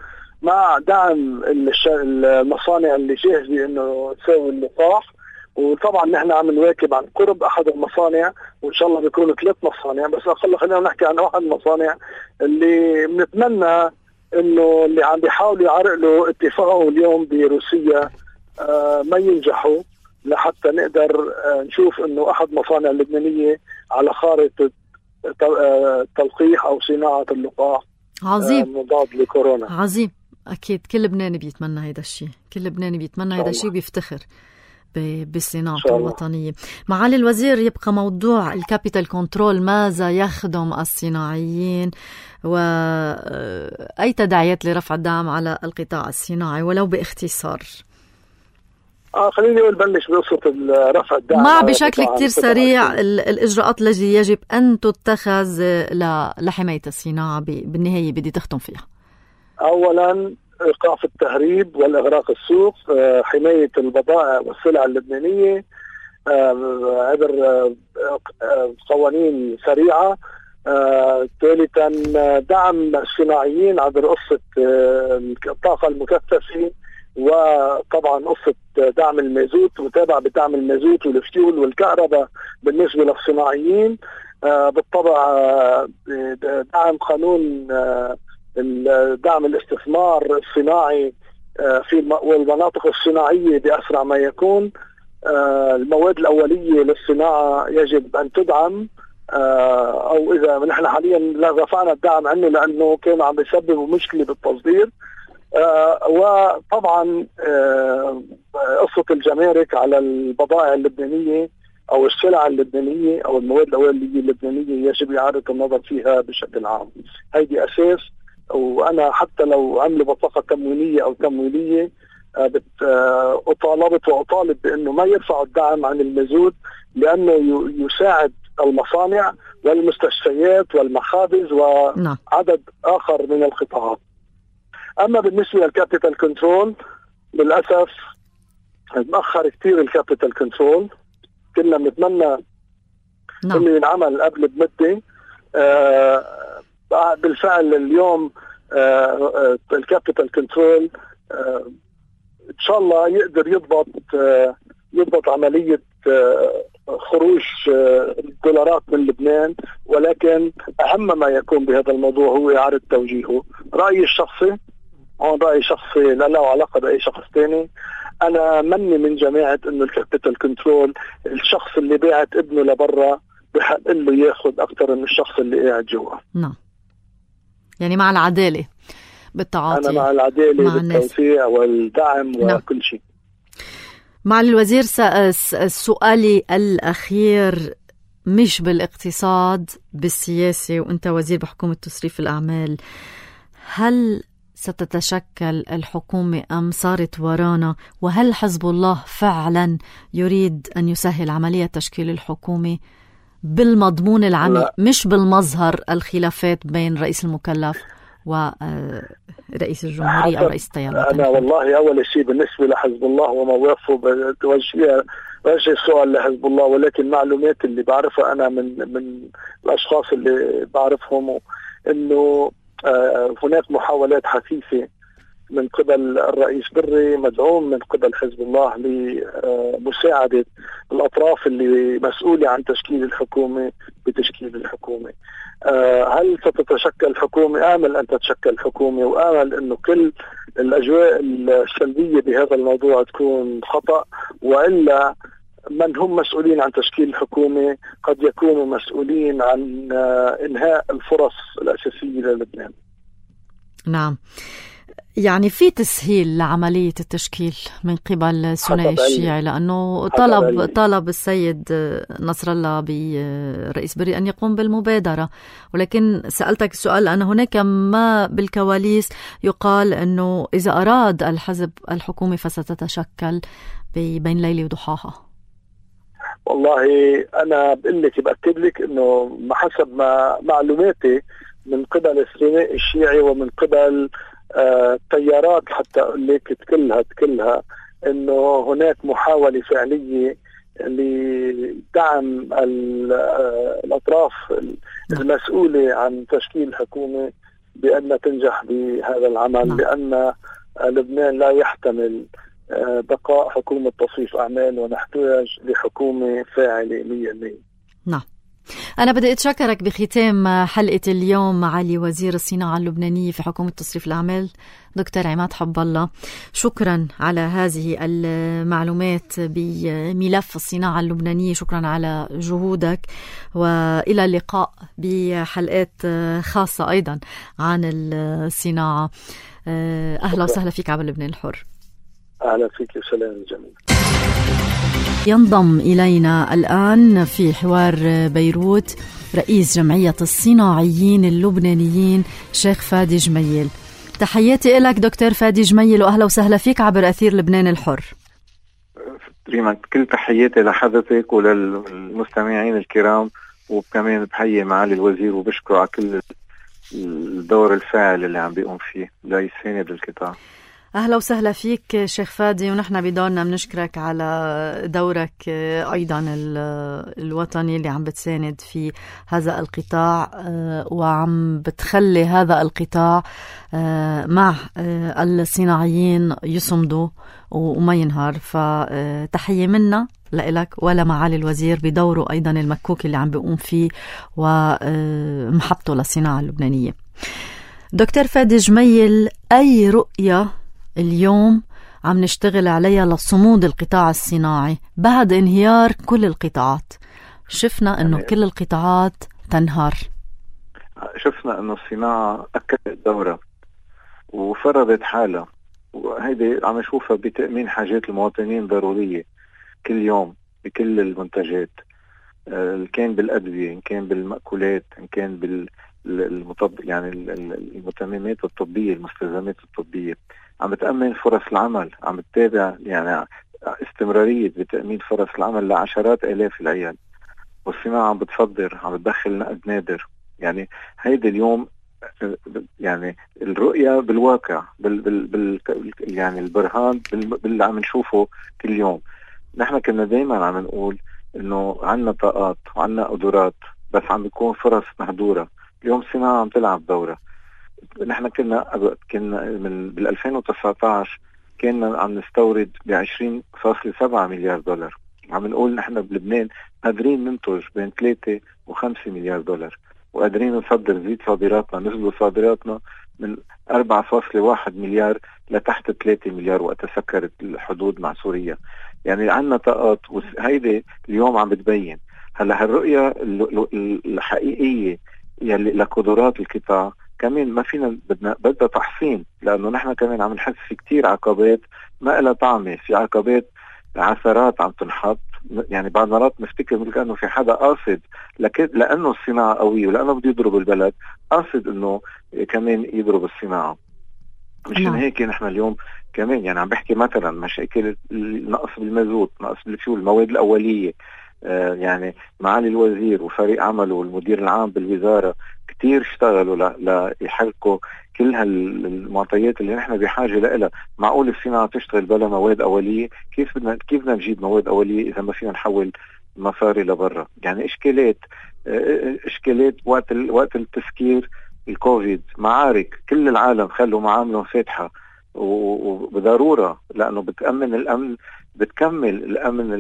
مع دعم المصانع اللي جاهزة انه تساوي اللقاح. وطبعا نحن عم نواكب عن قرب احد المصانع، وان شاء الله بيكونوا 3 مصانع، بس اقل خلينا نحكي عن 1 مصانع اللي بنتمنى انه اللي عم بيحاولوا يعرقلوا اتفاقهم اليوم بروسيا ما ينجحوا. لحتى نقدر نشوف انه احد مصانع اللبنانيه على خارطه تلقيح او صناعه اللقاح عظيم مضاد لكورونا. عظيم. اكيد كل لبناني بيتمنى هيدا الشيء، كل لبناني بيتمنى هيدا الشيء، بيفتخر بالصناعة الوطنية. معالي الوزير، يبقى موضوع الكابيتال كنترول، ماذا يخدم الصناعيين وأي تداعيات لرفع الدعم على القطاع الصناعي ولو باختصار؟ خليني أقول بلش بقصة رفع الدعم مع بشكل كتير سريع الإجراءات التي يجب أن تتخذ لحماية الصناعة بالنهاية بدي تختم فيها. أولا إيقاف التهريب والإغراق السوق، حماية البضائع والسلع اللبنانية عبر قوانين سريعة. ثالثا دعم الصناعيين عبر قصة الطاقة المكثفة، وطبعا قصة دعم المازوت، متابعة بدعم المازوت والفيول والكهرباء بالنسبة للصناعيين. بالطبع دعم قانون دعم الاستثمار الصناعي في المناطق الصناعية بأسرع ما يكون. المواد الأولية للصناعة يجب أن تدعم، أو إذا نحن حاليا لا رفعنا الدعم عنه لأنه كان عم يسبب مشكلة بالتصدير. وطبعا قصة الجمارك على البضائع اللبنانية أو السلع اللبنانية أو المواد الأولية اللبنانية يجب إعادة النظر فيها بشكل عام. هيدي أساس. وأنا حتى لو عملوا بطاقة تموينية أو تمويلية أطالب بأنه ما يرفعوا الدعم عن المازوت، لأنه يساعد المصانع والمستشفيات والمخابز وعدد آخر من القطاعات. أما بالنسبة للكابيتال كنترول، للأسف مأخر كتير الكابيتال كنترول. كنا بنتمنى إنه ينعمل قبل بمدة. بالفعل اليوم الكابيتال كنترول إن شاء الله يقدر يضبط عملية خروج الدولارات من لبنان، ولكن أهم ما يكون بهذا الموضوع هو إعادة توجيهه. رأيي الشخصي، رأي شخصي لا له علاقة بأي شخص تاني، أنا مني من جماعة إنه الكابيتال كنترول الشخص اللي باعت ابنه لبرا بحق له ياخد أكتر من الشخص اللي قاعد جوا. نعم، يعني مع العدالة بالتعاطي. أنا مع العدالة بالتوسيع والدعم وكل شيء. معالي الوزير، سؤالي الأخير مش بالاقتصاد، بالسياسة، وأنت وزير بحكومة تصريف الأعمال. هل ستتشكل الحكومة أم صارت ورانا؟ وهل حزب الله فعلا يريد أن يسهل عملية تشكيل الحكومة بالمضمون العام مش بالمظهر الخلافات بين رئيس المكلف ورئيس الجمهورية أو رئيس التيار؟ أنا والله أول شيء بالنسبة لحزب الله ومواقفه بتوجه السؤال لحزب الله، ولكن معلومات اللي بعرفها أنا من الأشخاص اللي بعرفهم إنه هناك محاولات حثيثة من قبل الرئيس بري مدعوم من قبل حزب الله لمساعدة الأطراف اللي مسؤولة عن تشكيل الحكومة بتشكيل الحكومة. هل ستتشكل الحكومة؟ آمل أن تتشكل الحكومة، وآمل أنه كل الأجواء السلبية بهذا الموضوع تكون خطأ، وإلا من هم مسؤولين عن تشكيل الحكومة قد يكونوا مسؤولين عن إنهاء الفرص الأساسية للبنان. نعم، يعني في تسهيل لعملية التشكيل من قبل الثنائي الشيعي، لأنه طلب السيد نصر الله برئيس بري أن يقوم بالمبادرة. ولكن سألتك السؤال أن هناك ما بالكواليس يقال أنه إذا أراد الحزب الحكومة فستتشكل بين ليلة وضحاها. والله أنا بأكد لك أنه حسب ما معلوماتي من قبل الثنائي الشيعي ومن قبل تيارات، حتى أقول لك كلها إنه هناك محاولة فعلية لدعم الأطراف المسؤولة عن تشكيل الحكومة بأن تنجح بهذا العمل، لأن لبنان لا يحتمل بقاء حكومة تصريف أعمال، ونحتاج لحكومة فاعلة 100%. نعم. أنا بدي أتشكرك بختام حلقة اليوم معالي وزير الصناعة اللبنانية في حكومة تصريف الأعمال دكتور عماد حب الله. شكرا على هذه المعلومات بملف الصناعة اللبنانية، شكرا على جهودك، وإلى اللقاء بحلقات خاصة أيضا عن الصناعة. أهلا وسهلا فيك عبر لبنان الحر. أهلا فيك وسلام جميل. ينضم إلينا الآن في حوار بيروت رئيس جمعية الصناعيين اللبنانيين شيخ فادي جميل. تحياتي لك دكتور فادي جميل، وأهلا وسهلا فيك عبر أثير لبنان الحر. ريما كل تحياتي لحضرتك وللمستمعين الكرام، وكمان بحيي معالي الوزير وبشكره على كل الدور الفاعل اللي عم بيقوم فيه ليساند القطاع. أهلا وسهلا فيك شيخ فادي، ونحن بدورنا بنشكرك على دورك أيضا الوطني اللي عم بتساند في هذا القطاع، وعم بتخلي هذا القطاع مع الصناعيين يصمدوا وما ينهار. فتحية منا لإلك ولا معالي الوزير بدوره أيضا المكوك اللي عم بيقوم فيه ومحبته للصناعة اللبنانية. دكتور فادي جميل، أي رؤية اليوم عم نشتغل عليها لصمود القطاع الصناعي بعد انهيار كل القطاعات؟ شفنا انه كل القطاعات تنهار. شفنا انه الصناعة اكدت دورها وفرضت حالها، وهيدي عم نشوفها بتأمين حاجات المواطنين ضرورية كل يوم بكل المنتجات، إن كان بالأدوية، إن كان بالمأكولات، إن كان يعني المتممات الطبية، المستلزمات الطبية. عم بتأمن فرص العمل، عم بتتابع يعني استمرارية بتأمين فرص العمل لعشرات آلاف العيال. والصناعة عم بتصدر، عم بتدخل نقد نادر. يعني هيدا اليوم يعني الرؤية بالواقع يعني البرهان باللي عم نشوفه كل يوم. نحن كنا دايما عم نقول انه عنا طاقات وعنا قدرات، بس عم بيكون فرص مهدورة. اليوم الصناعة عم تلعب دورة. نحن كنا من بال 2019 كنا عم نستورد ب20.7 مليار دولار. عم نقول نحن بلبنان قادرين ننتج بين 3 و5 مليار دولار، وقادرين نصدر، نزيد صادراتنا. نزلوا صادراتنا من 4.1 مليار لتحت 3 مليار وقت سكرت الحدود مع سوريا. يعني عنا طاقات، وهيدي اليوم عم بتبين. هلا هالرؤية الحقيقية يلي لقدرات القطاع كمان ما فينا، بدنا تحصين، لأنه نحن كمان عم نحس في كتير عقبات ما إلها طعمة. في عقبات عثرات عم تنحط، يعني بعض مرات نفتكر مثل كأنه في حدا قاصد لأنه الصناعة قوية ولأنه بده يضرب البلد، قاصد إنه كمان يضرب الصناعة. مشان هيك نحن اليوم كمان يعني عم بحكي مثلا مشاكل نقص بالمازوت، نقص بالفيول، المواد الأولية. يعني معالي الوزير وفريق عمله والمدير العام بالوزارة كتير اشتغلوا ليحركوا كل هالمعطيات اللي نحن بحاجة لها. معقول الصناعة تشتغل بلا مواد أولية؟ كيف بدنا نجيب مواد أولية إذا ما فينا نحول مصاري لبرا؟ يعني إشكالات وقت التسكير الكوفيد، معارك كل العالم خلوا معاملهم فاتحة وبضرورة، لأنه بتأمن الأمن، بتكمل الأمن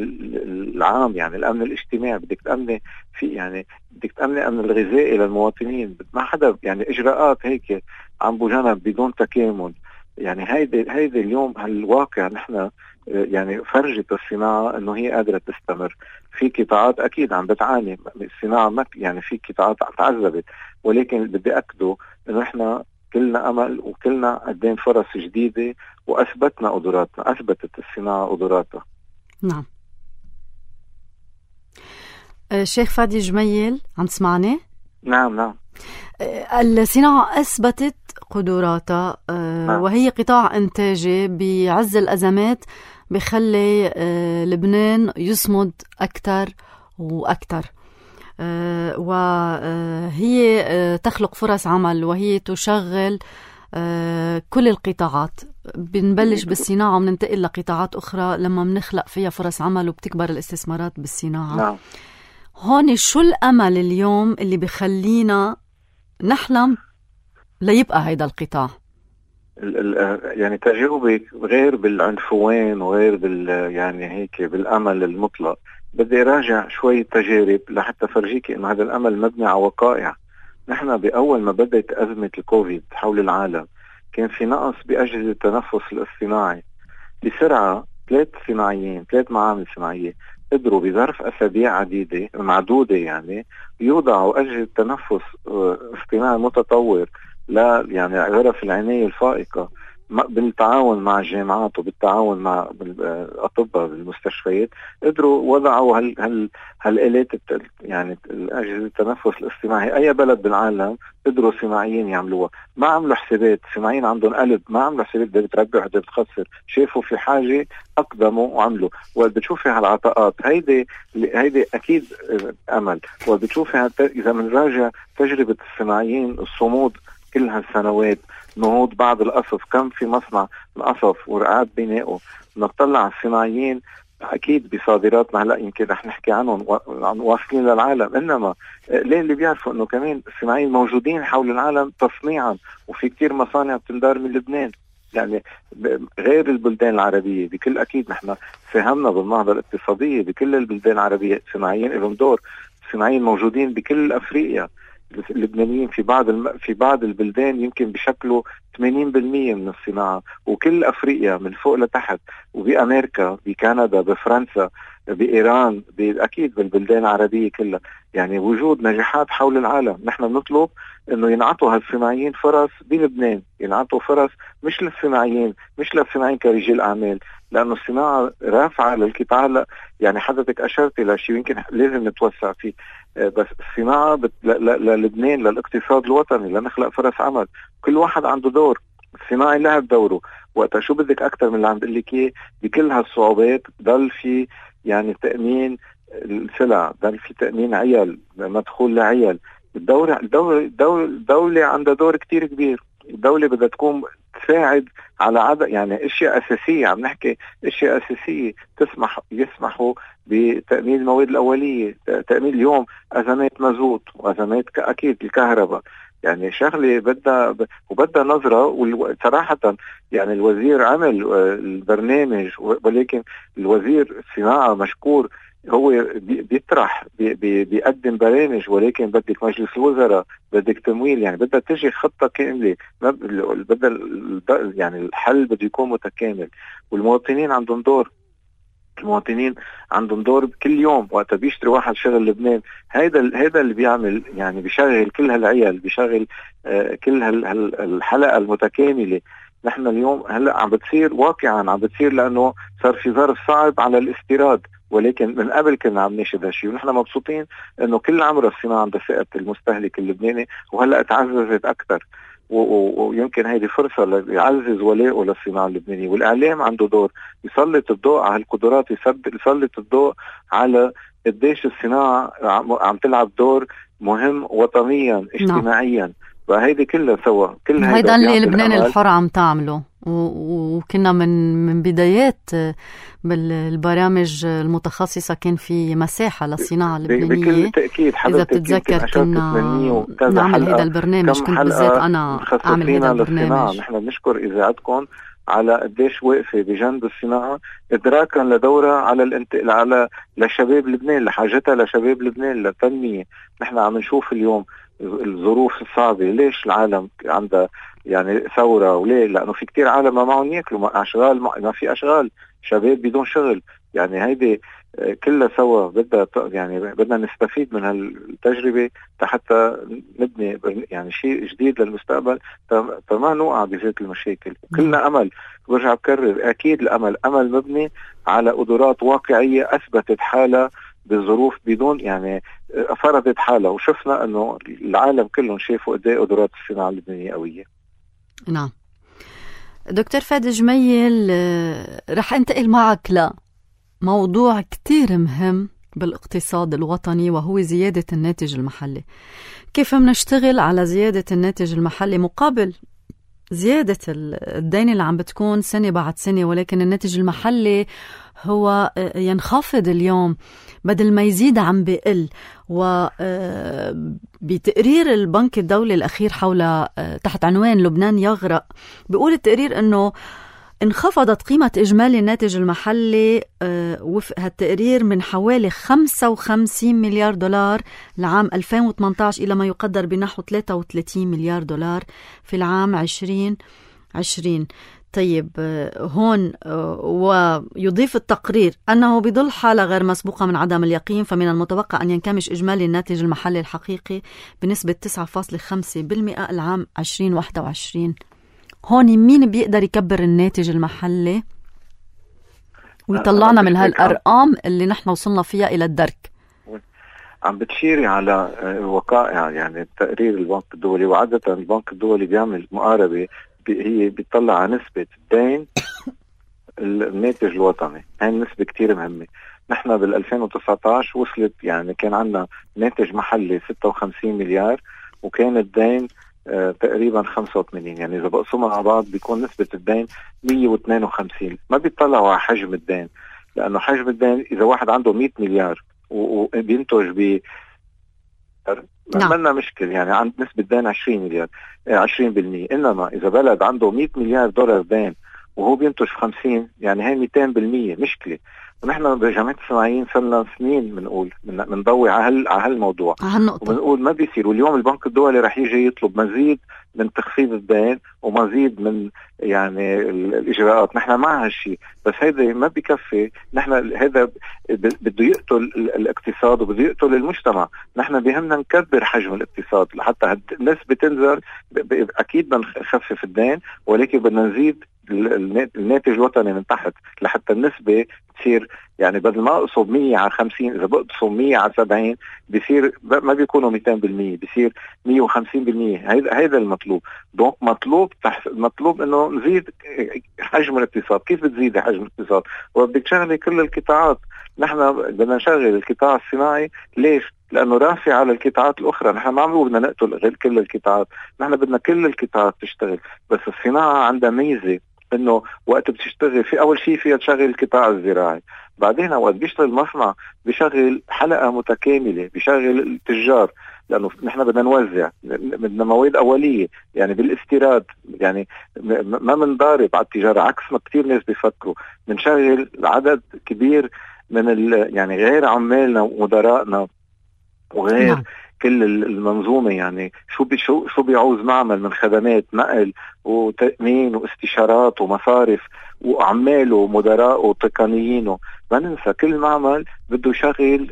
العام، يعني الأمن الاجتماعي. بدك تأمن في، يعني بدك تأمن الأمن الغذائي للمواطنين. ما حدا يعني إجراءات هيك عم بجانب بدون تكامل. يعني هيدي اليوم هالواقع نحن يعني فرجت الصناعة انه هي قادرة تستمر. في قطاعات اكيد عم بتعاني الصناعة، يعني في قطاعات تعذبت، ولكن بدي اكده انه احنا كلنا امل وكلنا قدام فرص جديدة، واثبتنا قدراتنا، اثبتت الصناعة قدراتها. نعم. شيخ فادي جميل، عم تسمعني؟ نعم. الصناعة أثبتت قدراتها، وهي قطاع إنتاجي بعز الأزمات بخلي لبنان يصمد أكثر وأكثر، وهي تخلق فرص عمل، وهي تشغل كل القطاعات. بنبلش بالصناعة وبننتقل لقطاعات أخرى لما بنخلق فيها فرص عمل وبتكبر الاستثمارات بالصناعة. نعم. هون شو الأمل اليوم اللي بخلينا نحلم ليبقى هيدا القطاع؟ يعني تجاوبك غير بالعنفوان وغير يعني هيك بالأمل المطلق. بدي راجع شوية تجارب لحتى فرجيك إنه هذا الأمل مبني على وقائع. نحن بأول ما بدأت أزمة الكوفيد حول العالم كان في نقص بأجهزة التنفس الاصطناعي. بسرعة 3 معامل صناعية قدروا بظرف أسابيع معدودة يعني يوضعوا أجهزة تنفس اصطناعي متطور لا يعني غرف العناية الفائقة بالتعاون مع الجامعات وبالتعاون مع الأطباء بالمستشفيات. قدروا وضعوا هالآلات يعني الأجهزة التنفس الاصطناعي. أي بلد بالعالم قدروا صناعيين يعملوها، ما عملوا حسابات. صناعيين عندهم قلب، ما عملوا حسابات بدها بتربح بدها بتخسر، شافوا في حاجة أقدموا وعملوا. وبتشوفي هالعطاءات هيدي أكيد أمل. وبتشوفي إذا منراجع تجربة الصناعيين الصمود كل هالسنوات، نهوض بعض القصف، كم في مصنع القصف ورقعات بنائه. نطلع الصناعيين أكيد بصادراتنا هلأ يمكن رح نحكي عنهم واصلين للعالم، إنما ليه اللي بيعرفوا إنه كمان الصناعيين موجودين حول العالم تصنيعا، وفي كتير مصانع بتندار من لبنان. يعني غير البلدان العربية بكل أكيد نحن ساهمنا بالنهضة الاقتصادية بكل البلدان العربية. صناعيين لهم دور. صناعيين موجودين بكل أفريقيا. اللبنانيين في بعض البلدان يمكن بشكله 80% من الصناعة، وكل أفريقيا من فوق لتحت، وبأمريكا بكندا بفرنسا بإيران أكيد بالبلدان العربية كلها. يعني وجود نجاحات حول العالم. نحن بنطلب إنه ينعطوا هالصناعيين فرص بلبنان، ينعطوا فرص مش للصناعيين كرجال أعمال، لأنه الصناعة رافعة للقطاع. يعني حضرتك أشرتي لشيء يمكن لازم نتوسع فيه، بس الصناعة للبنان للاقتصاد الوطني لنخلق فرص عمل. كل واحد عنده دور. الصناعي لعب دوره. وقتها شو بدك أكتر من اللي عم بقول لك إياه؟ بكل هالصعوبات ضل في يعني تأمين السلع، ضل في تأمين عيال، مدخول لعيال. الدولة عندها دور كتير كبير. الدولة بدها تكون تساعد على عدد يعني اشياء اساسيه. عم نحكي اشياء اساسيه يسمحوا بتامين المواد الاوليه، تامين اليوم ازمات مازوت وازمات اكيد الكهرباء. يعني شغله بدها نظره. وصراحه يعني الوزير عمل البرنامج، ولكن الوزير الصناعه مشكور هو بيطرح بيقدم برامج، ولكن بدك مجلس الوزراء، بدك تمويل. يعني بدها تجي خطة كاملة، بدها يعني الحل بده يكون متكامل. والمواطنين عندهم دور. المواطنين عندهم دور كل يوم وقت بيشتري واحد شغل لبنان. هيدا اللي بيعمل يعني بيشغل كل هالعيال، بيشغل كل الحلقة المتكاملة. نحن اليوم هلأ عم بتصير واقعا عم بتصير لأنه صار في ظرف صعب على الاستيراد، ولكن من قبل كنا عم نشهد هالشيء. ونحن مبسوطين انه كل عمر الصناعة عند فئة المستهلك اللبناني، وهلأ تعززت اكثر. ويمكن هيدي فرصة ليعزز ولاءه للصناعة اللبنانية. والإعلام عنده دور، يسلط الضوء على القدرات، يسلط الضوء على قديش الصناعة عم تلعب دور مهم وطنيا اجتماعيا. فهيدي كلها سوا، كل هيدا اللي لبنان الحر عم تعمله. وكنا من بدايات بالبرامج المتخصصة كان في مساحة للصناعة اللبنانية. بكل تأكيد إذا بتتذكر كنا نعمل هذا البرنامج، كنت بالذات أنا أعمل هذا البرنامج. نحن بنشكر إذاعتكم على قديش واقفة بجنب الصناعة، إدراكا لدورها على لشباب لبنان، لحاجتها لشباب لبنان للتنمية. نحن عم نشوف اليوم الظروف الصعبة. ليش العالم عندها يعني ثورة؟ وليه؟ لأنه في كتير عالم ما معهم يأكلوا، ما في أشغال، شباب بدون شغل. يعني هيدي كلها سوا بدنا نستفيد من هالتجربة حتى نبني يعني شيء جديد للمستقبل، فما نوقع بذات المشاكل. كلنا أمل. برجع بكرر، أكيد الأمل أمل مبني على قدرات واقعية أثبتت حالها بالظروف، بدون يعني فرضت حالها. وشفنا أنه العالم كلهم شافوا قد ايه قدرات الصناعة اللبنانية قوية. نعم دكتور فادي جميل، رح انتقل معك لموضوع كتير مهم بالاقتصاد الوطني، وهو زيادة الناتج المحلي. كيف منشتغل على زيادة الناتج المحلي مقابل زيادة الدين اللي عم بتكون سنة بعد سنة، ولكن الناتج المحلي هو ينخفض اليوم بدل ما يزيد عم بقل. وبتقرير البنك الدولي الأخير حول تحت عنوان لبنان يغرق، بيقول التقرير أنه انخفضت قيمة إجمالي الناتج المحلي وفق هالتقرير من حوالي 55 مليار دولار لعام 2018 إلى ما يقدر بنحو 33 مليار دولار في العام 2020. طيب هون ويضيف التقرير أنه بظل حالة غير مسبوقة من عدم اليقين، فمن المتوقع أن ينكمش إجمالي الناتج المحلي الحقيقي بنسبة 9.5% العام 2021. هون مين بيقدر يكبر الناتج المحلي ويطلعنا من هالأرقام اللي نحن وصلنا فيها إلى الدرك؟ عم بتشيري على وقائع، يعني تقرير البنك الدولي، وعادة البنك الدولي بيعمل مقاربة، هي بيطلع على نسبة الدين الناتج الوطني. هاي النسبة كتير مهمة. نحن بال2019 وصلت، يعني كان عندنا ناتج محلي 56 مليار وكان الدين تقريبا 85، يعني إذا بقسمها على بعض بيكون نسبة الدين 152. ما بيطلعوا على حجم الدين، لأنه حجم الدين إذا واحد عنده 100 مليار وبينتج ب عملنا مشكل، يعني عند نسبة دين 20 مليار 20%. إنما إذا بلد عنده 100 مليار دولار دين وهو بينتج 50، يعني هاي 200% مشكلة. ونحن بجامعة الصناعيين صرنا سنين بنقول بنضوي على هالموضوع وبنقول ما بيصير. واليوم البنك الدولي رح يجي يطلب مزيد من تخفيض الدين ومزيد من يعني الإجراءات. نحن مع هالشيء، بس هذا ما بيكفي. نحن هذا بده يقتل الاقتصاد وبده يقتل المجتمع. نحن بيهمنا نكبر حجم الاقتصاد لحتى النسبة تنزل. أكيد بنخفف الدين، ولكن بدنا نزيد الناتج الوطني من تحت لحتى النسبة تصير، يعني بدل ما اقصد 100 على 50، إذا بقصد 100 على 70 بيصير ما بيكونوا 200%، بيصير 150%. هذا المطلوب. دونك مطلوب إنه نزيد حجم الاقتصاد. كيف بتزيد حجم الاقتصاد؟ وبدك تشغلي كل القطاعات. نحن بدنا نشغل القطاع الصناعي. ليش؟ لأنه رافع على القطاعات الأخرى. نحن ما عم بدنا نقتل غير كل القطاعات، نحن بدنا كل القطاعات تشتغل. بس الصناعة عندها ميزة إنه وقت بتشتغل في أول شيء فيها تشغل القطاع الزراعي، بعدين وقت بيشتغل المصنع بيشغل حلقة متكاملة، بيشغل التجار. لأنه نحن بدنا نوزع، بدنا مواد أولية يعني بالاستيراد، يعني ما منضارب على التجارة عكس ما كتير ناس بيفكروا. بنشغل عدد كبير من يعني غير عمالنا ومدراءنا وغير كل المنظومة. يعني شو بيعوز معمل من خدمات نقل وتأمين واستشارات ومصارف وعمال ومدراء وتقنيين. ما ننسى كل معمل بده يشغل،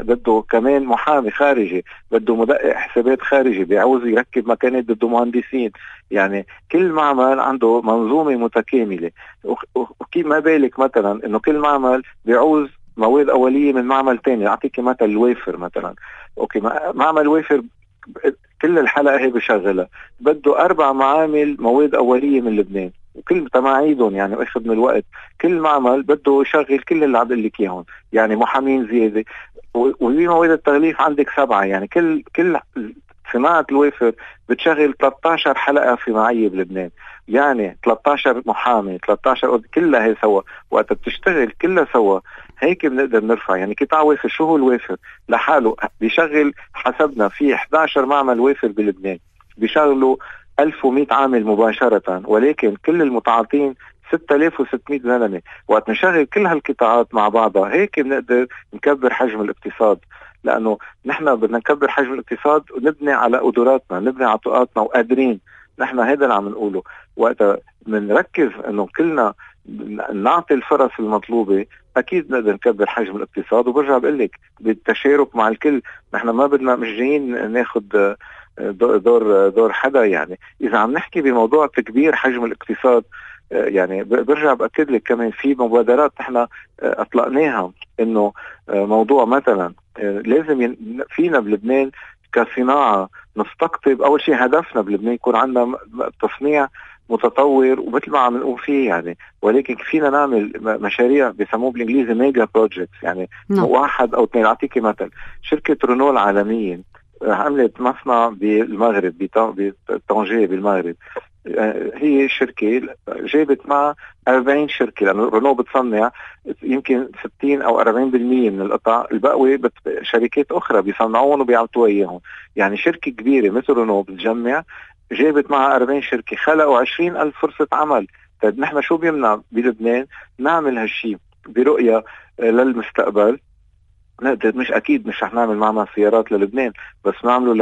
بده كمان محامي خارجي، بده مدقق حسابات خارجي، بيعوز يركب مكانات، بده مهندسين. يعني كل معمل عنده منظومة متكاملة. وكيف ما بالك مثلا انه كل معمل بيعوز مواد أولية من معمل تاني. أعطيك مثل الوافر مثلا. أوكي، معمل وافر كل الحلقة هي بشغلها، بده 4 معامل مواد أولية من لبنان وكل تماعيدهم يعني وياخد من الوقت. كل معمل بده يشغل كل اللي عم بقول لك اياهم، يعني محامين زيادة. وهي مواد التغليف عندك 7، يعني كل صناعة الوافر بتشغل 13 حلقة صناعية بلبنان. يعني 13 محامي، 13 كلها هي سوا. وقت بتشتغل كلها سوا هيك بنقدر نرفع. يعني قطاع وافر، شو هو الوافر لحاله؟ بيشغل حسبنا في 11 معمل وافر بلبنان بيشغلوا 1100 عامل مباشرة، ولكن كل المتعاطين 6600 زلمة. وقت نشغل كل هالقطاعات مع بعضها هيك بنقدر نكبر حجم الاقتصاد. لأنه نحن بدنا نكبر حجم الاقتصاد ونبني على قدراتنا، نبني على طاقاتنا وقادرين. نحن هذا اللي عم نقوله. وقت بنركز انه كلنا نعطي الفرص المطلوبة اكيد نقدر نكبر حجم الاقتصاد. وبرجع بقول لك بالتشارك مع الكل. نحن ما بدنا مش جايين ناخد دور حدا. يعني اذا عم نحكي بموضوع تكبير حجم الاقتصاد، يعني برجع بأكد لك كمان في مبادرات نحن اطلقناها. انه موضوع مثلا لازم فينا بلبنان كصناعة نستقطب. أول شيء هدفنا بلبنان يكون عندنا تصنيع متطور ومثل ما عم نقول فيه يعني. ولكن فينا نعمل مشاريع بيسموه بالإنجليزي ميجا بروجيكتس، يعني 1 أو 2. أعطيكي مثل شركة رونو العالمية عملت مصنع بالمغرب بطنجة بالمغرب. هي شركة جابت معها 40 شركة، لأن رونو بتصنع يمكن 60 أو 40% من القطع، الباقي شركات أخرى بيصنعون وبيعطوا إياهم. يعني شركة كبيرة مثل رونو بتجمع، جابت معها 40 شركة، خلقوا 20,000 فرصة عمل طيب نحن شو بيمنع بلبنان نعمل هالشي برؤية للمستقبل؟ مش اكيد مش رح نعمل معنا سيارات للبنان، بس نعمله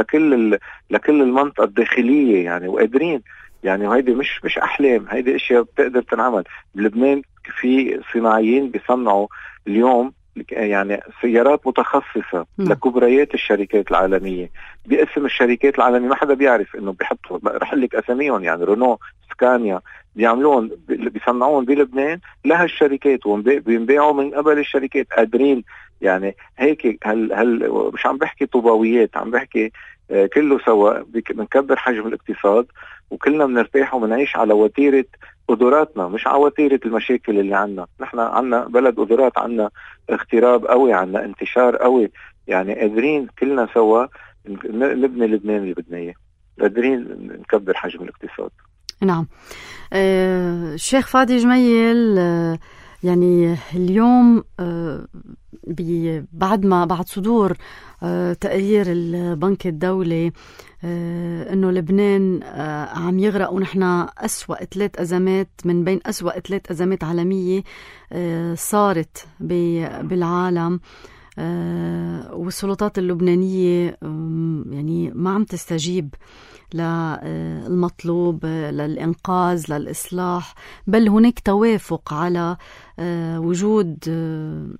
لكل المنطقة الداخلية يعني، وقادرين يعني. وهيدي مش احلام، هيدي اشياء بتقدر تنعمل. بلبنان في صناعيين بيصنعوا اليوم يعني سيارات متخصصة لكبريات الشركات العالمية باسم الشركات العالمية. ما حدا بيعرف انه بيحطوا، رح لك اساميهم يعني، رونو، سكانيا، بيعملون بيصنعون بلبنان لهالشركات وبينبيعوا من قبل الشركات. قادرين يعني هيك. هل مش عم بحكي طوباويات، عم بحكي كله سوا بنكبر حجم الاقتصاد وكلنا بنرتاح وبنعيش على وتيرة قدراتنا، مش على وتيرة المشاكل اللي عنا. نحن عنا بلد قدرات، عنا اغتراب قوي، عنا انتشار قوي يعني. قادرين كلنا سوا نبني لبنان اللي بدنا اياه، قادرين نكبر حجم الاقتصاد. نعم. الشيخ فادي جميل، يعني اليوم بعد صدور تقرير البنك الدولي انه لبنان عم يغرق، ونحن أسوأ 3 أزمات من بين أسوأ 3 أزمات عالمية صارت بالعالم، والسلطات اللبنانية يعني ما عم تستجيب للمطلوب، للإنقاذ، للإصلاح، بل هناك توافق على وجود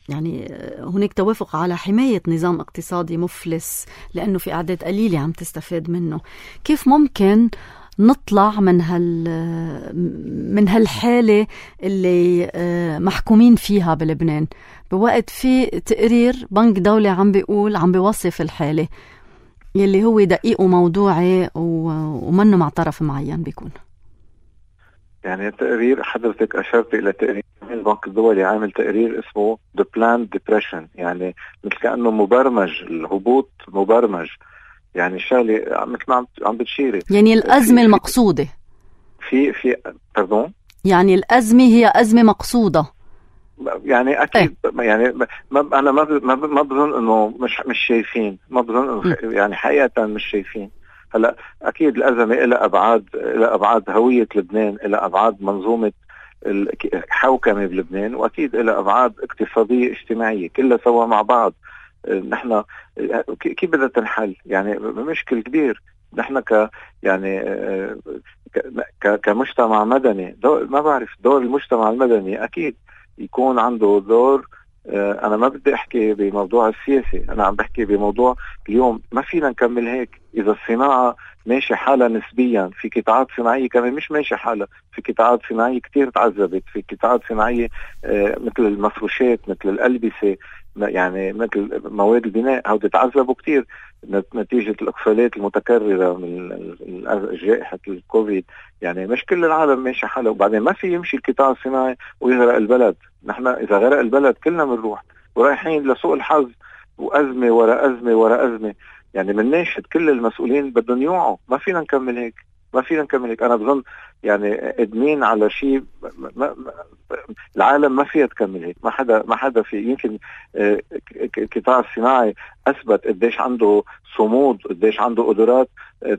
يعني هناك توافق على حماية نظام اقتصادي مفلس لأنه في أعداد قليلة عم تستفاد منه. كيف ممكن نطلع من هالحالة اللي محكومين فيها بلبنان بوقت في تقرير بنك دولي عم بيوصف الحالة يلي هو دقيق وموضوعي ومنه مع طرف معين بيكون؟ يعني التقرير حضرتك أشرت إلى تقرير البنك الدولي، عامل تقرير اسمه The Planned Depression، يعني مثل كأنه مبرمج، الهبوط مبرمج يعني. الشغلة مثل ما عم بتشيري، يعني الأزمة المقصودة في pardon، يعني الأزمة هي أزمة مقصودة يعني أكيد يعني أنا ما بظن إنه مش شايفين، ما بظن إنه يعني حقيقة مش شايفين. هلا أكيد الأزمة إلى أبعاد هوية لبنان، إلى أبعاد منظومة الحوكمة بلبنان، وأكيد إلى أبعاد اقتصادية اجتماعية كلها سوا مع بعض. نحن كيف بدها تنحل؟ يعني مشكل كبير. نحن يعني كمجتمع مدني، ما بعرف دور المجتمع المدني أكيد يكون عنده دور. أنا ما بدي أحكي بموضوع السياسي، أنا عم بحكي بموضوع اليوم. ما فينا نكمل هيك إذا الصناعة ماشي حالة نسبيا. في قطاعات صناعية كمان مش ماشي حالة، في قطاعات صناعية كتير تعذبت، في قطاعات صناعية مثل المفروشات، مثل الألبسة، يعني مثل مواد البناء، هودي تعذبوا كتير نتيجة الإقفالات المتكررة من جائحة الكوفيد. يعني مش كل العالم ماشي حاله. وبعدين ما في يمشي القطاع الصناعي ويغرق البلد. نحن إذا غرق البلد كلنا بنروح، ورايحين لسوء الحظ وأزمة ورا أزمة ورا أزمة. يعني من ناشد كل المسؤولين بدهم يوعوا. ما فينا نكمل هيك، ما فينا نكمل هيك. أنا بظن يعني قدمين على شيء العالم ما فيها تكمل هيك. ما حدا في. يمكن القطاع الصناعي أثبت قديش عنده صمود، قديش عنده قدرات،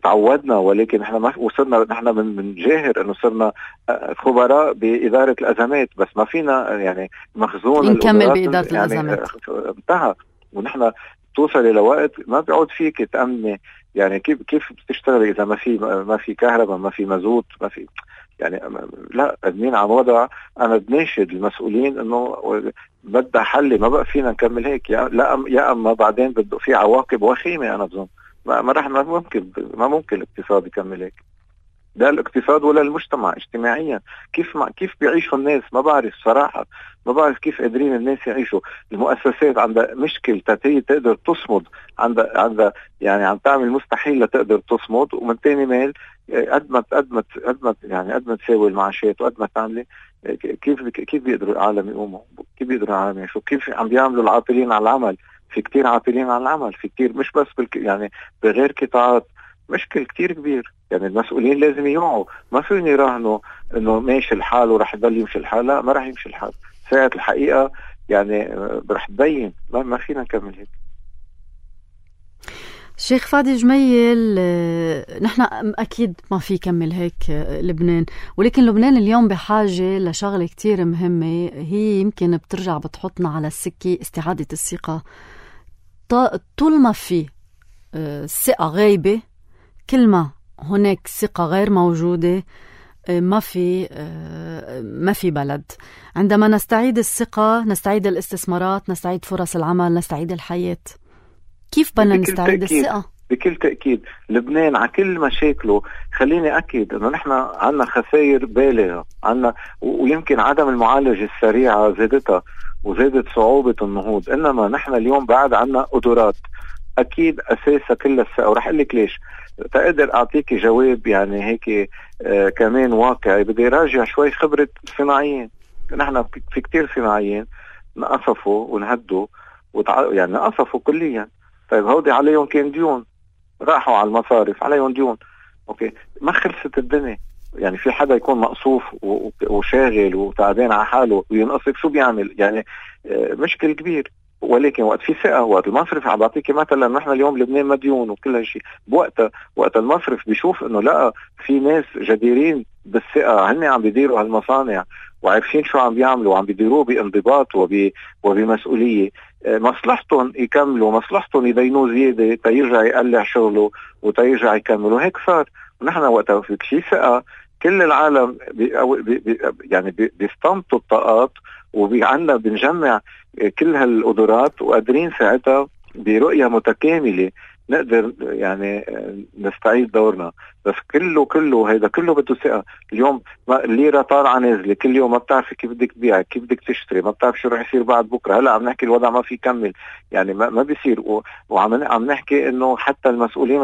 تعودنا. ولكن نحن ما وصلنا، نحن من جاهر إنه صرنا خبراء بإدارة الأزمات، بس ما فينا يعني مخزون نكمل بإدارة يعني الأزمات انتهى. ونحن توصل إلى وقت ما بيعود فيك تأمني. يعني كيف بتشتغل إذا ما في كهرباء، ما في مازوت، ما في يعني. لا، قدمين عن وضع. أنا بناشد المسؤولين إنه بدها حل. ما بقى فينا نكمل هيك. يا أما بعدين بده في عواقب وخيمة. أنا بظن ما ممكن الاقتصاد يكمل هيك. لا الاقتصاد ولا المجتمع اجتماعيا. كيف بيعيشوا الناس؟ ما بعرف صراحة. ما بعرف كيف قادرين الناس يعيشوا. المؤسسات عندها مشكل تقدر تصمد، عندها يعني عم تعمل مستحيل لتقدر تصمد. ومن تاني مال قد ما تساوي المعاشات وقد ما تعملي، كيف بيقدروا العالم يقوموا؟ كيف بيقدروا العالم يعيشوا؟ كيف عم بيعملوا العاطلين على العمل؟ في كتير عاطلين على العمل، في كتير مش بس يعني بغير قطاعات. مشكل كتير كبير. يعني المسؤولين لازم يوعوا. ما فيهم يراهنوا انه ماشي الحال ورح يضل يمشي الحال. لا، ما رح يمشي الحال. ساعة الحقيقة يعني رح تبين. ما فينا نكمل هيك. شيخ فادي جميل، نحن أكيد ما في كمل هيك لبنان، ولكن لبنان اليوم بحاجة لشغلة كتير مهمة، هي يمكن بترجع بتحطنا على السكة استعادة الثقة. طول ما في الثقة غايبة، كل ما هناك ثقة غير موجودة، ما في بلد. عندما نستعيد الثقة نستعيد الاستثمارات، نستعيد فرص العمل، نستعيد الحياة. كيف بدنا نستعيد الثقة؟ بكل تأكيد لبنان على كل مشاكله، خليني أكد أنه نحن عنا خسائر بالغة، عنا ويمكن عدم المعالجة السريعة زادتها وزادت صعوبة النهوض، إنما نحن اليوم بعد عنا قدرات أكيد أساسها كل الثقة. ورح أقول لك ليش. تقدر أعطيك جواب يعني هيك كمان واقعي. بدي راجع شوي خبرة صناعيين. نحن في كتير صناعيين نقصفوا ونهدوا يعني نقصفوا كليا. طيب هودي عليهم كان ديون، راحوا على المصارف عليهم ديون، اوكي ما خلصت الدنيا. يعني في حدا يكون مقصوف وشاغل وتعبان على حاله وينقصف، شو بيعمل؟ يعني مشكل كبير. ولكن وقت في ثقة، وقت المصرف عم بعطيكي مثلا نحن اليوم لبنان مديون وكل هالشيء، وقت المصرف بيشوف انه لا في ناس جديرين بالثقة، هن عم بيديروا هالمصانع وعارفين شو عم بيعملوا وعم بيديروه بانضباط وبمسؤولية، مصلحتهم يكملوا، مصلحتهم يدينوا زيادة تيرجع يقلع شغله وتيرجع يكملوا. هيك صار. ونحن وقتها في شيء ثقة كل العالم يعني بيستنطوا الطاقات، وعندنا بنجمع كل هالقدرات وقادرين ساعتها برؤية متكاملة نقدر يعني نستعيد دورنا. بس كله هيدا كله بده ثقة. اليوم الليرة طالعة نازلة كل يوم، ما بتعرفي كيف بدك تبيع، كيف بدك تشتري، ما بتعرف شو رح يصير بعد بكرة. هلا عم نحكي الوضع ما في يكمل، يعني ما بيصير. وعم نحكي انه حتى المسؤولين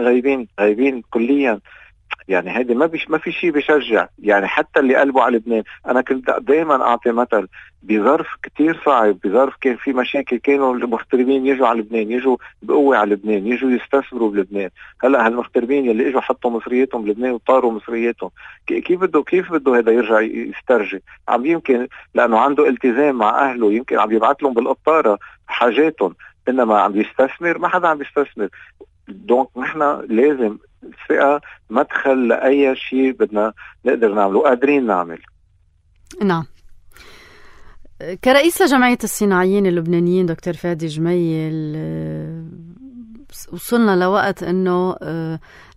غايبين كليا. يعني هيدي ما في شيء بيشجع. يعني حتى اللي قلبوا على لبنان، انا كنت دائما اعطي مثل بظرف كتير صعب، بظرف كان في مشاكل، كانوا المغتربين يجوا على لبنان، يجوا بقوة على لبنان، يجوا يستثمروا بلبنان. هلا هالمغتربين اللي اجوا حطوا مصرياتهم بلبنان وطاروا مصرياتهم، كيف بده هذا يرجع يسترجع؟ عم يمكن لانه عنده التزام مع اهله، يمكن عم يبعث لهم بالقطارة حاجاتهم، انما عم يستثمر ما حدا عم يستثمر. دونك نحن لازم الثقة مدخل لأي شيء بدنا نقدر نعمله، قادرين نعمل. نعم. كرئيس لجمعية الصناعيين اللبنانيين دكتور فادي جميل، وصلنا لوقت انه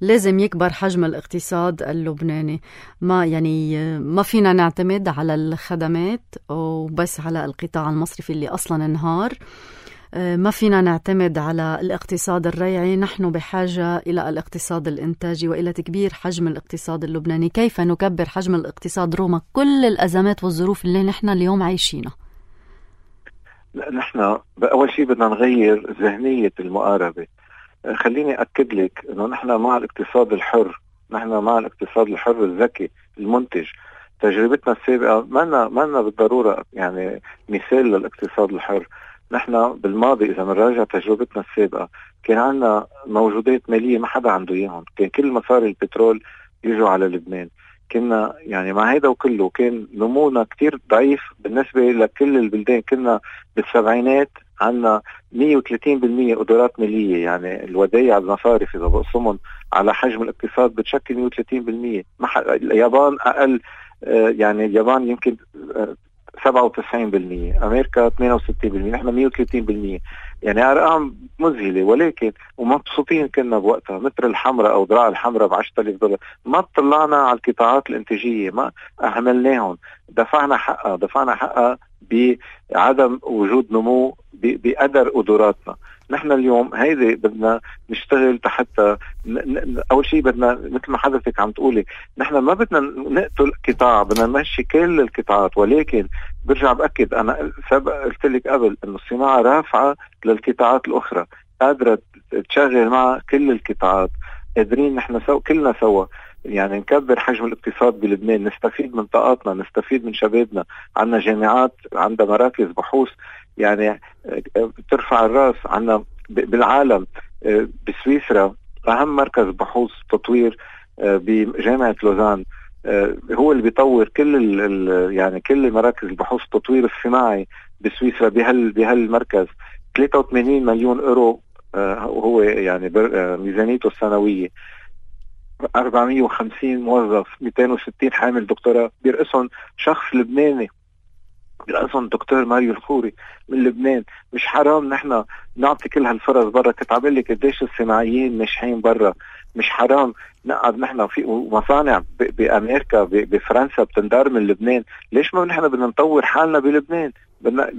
لازم يكبر حجم الاقتصاد اللبناني. ما فينا نعتمد على الخدمات وبس على القطاع المصرفي اللي اصلا انهار. ما فينا نعتمد على الاقتصاد الريعي. نحن بحاجة إلى الاقتصاد الإنتاجي وإلى تكبير حجم الاقتصاد اللبناني. كيف نكبر حجم الاقتصاد رغم كل الأزمات والظروف اللي نحن اليوم عايشينها؟ نحن أول شيء بدنا نغير ذهنية المقاربة. خليني أكد لك أنه نحن مع الاقتصاد الحر، نحن مع الاقتصاد الحر الذكي المنتج. تجربتنا السابقة ما بالضرورة يعني مثال للاقتصاد الحر. نحن بالماضي إذا نراجع تجربتنا السابقة كان عندنا موجودات مالية ما حدا عنده إياهم، كان كل مصاري البترول يجوا على لبنان. كنا يعني مع هيدا وكله كان نمونا كتير ضعيف بالنسبة لكل البلدان. كنا بالسبعينات عندنا 130% قدرات مالية، يعني الودايع المصارف إذا بقسمهم على حجم الاقتصاد بتشكل 130%. اليابان أقل، يعني اليابان يمكن 97%، أمريكا 68%، نحن 130%. يعني أرقام مذهلة، ولكن ومبسوطين كنا بوقتها مثل الحمراء أو ذراع الحمراء $10,000. ما طلعنا على القطاعات الانتاجية، ما أهملناهم، دفعنا حقها بعدم وجود نمو بقدر قدراتنا. نحن اليوم هيدي بدنا نشتغل حتى أول شيء بدنا مثل ما حضرتك عم تقولي، نحن ما بدنا نقتل قطاع، بدنا نمشي كل القطاعات. ولكن برجع بأكد، أنا سبق قلت لك قبل إنه الصناعة رافعة للقطاعات الأخرى، قادرة تشغل مع كل القطاعات. قادرين نحن كلنا سوا يعني نكبر حجم الاقتصاد بلبنان، نستفيد من طاقاتنا، نستفيد من شبابنا. عندنا جامعات، عندنا مراكز بحوث يعني ترفع الراس. عندنا بالعالم بسويسرا أهم مركز بحوث تطوير بجامعة لوزان، هو اللي بيطور يعني كل مراكز البحوث التطوير الصناعي بسويسرا بهالمركز. 83 مليون يورو هو يعني ميزانيته السنوية 450 موظف، 260 حامل دكتوراه، بيرقصهم شخص لبناني، بيرقصهم دكتور ماريو الخوري من لبنان. مش حرام نحن نعطي كل هالفرص برا؟ كنت عم لك قديش الصناعيين ناجحين برا. مش حرام نقعد نحن في مصانع بامريكا بفرنسا بتندار من لبنان؟ ليش ما نحن بدنا نطور حالنا بلبنان؟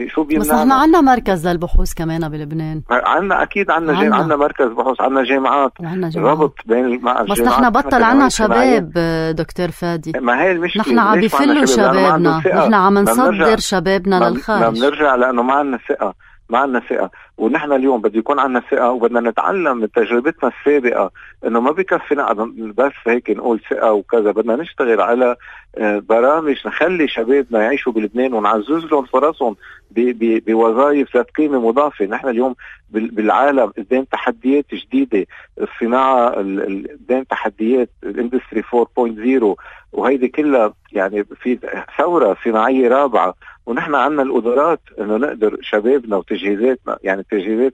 شو بيمنعنا؟ بس احنا عنا مركز للبحوث كمان بلبنان. عنا اكيد عنا مركز بحوث، عنا جامعات، ربط بين الجامعات. بس نحن بطل عنا شباب دكتور فادي. ما هي المشكله، نحن عم بيفلوا شبابنا، نحن عم نصدر شبابنا للخارج. بنرجع لانه ما عنا ثقه، ما عنا ثقة. ونحن اليوم بده يكون عنا ثقة، وبدنا نتعلم من تجربتنا السابقة انه ما بكفي نقعد بس هيك نقول ثقة وكذا. بدنا نشتغل على برامج نخلي شبابنا يعيشوا بلبنان ونعزز لهم فرصهم بوظائف ذات قيمة مضافة. نحن اليوم بالعالم قدام تحديات جديدة، الصناعة قدام تحديات الاندستري 4.0، وهيدي كلها يعني في ثورة صناعية رابعة. ونحن عنا القدرات انه نقدر شبابنا وتجهيزاتنا، يعني تجهيزات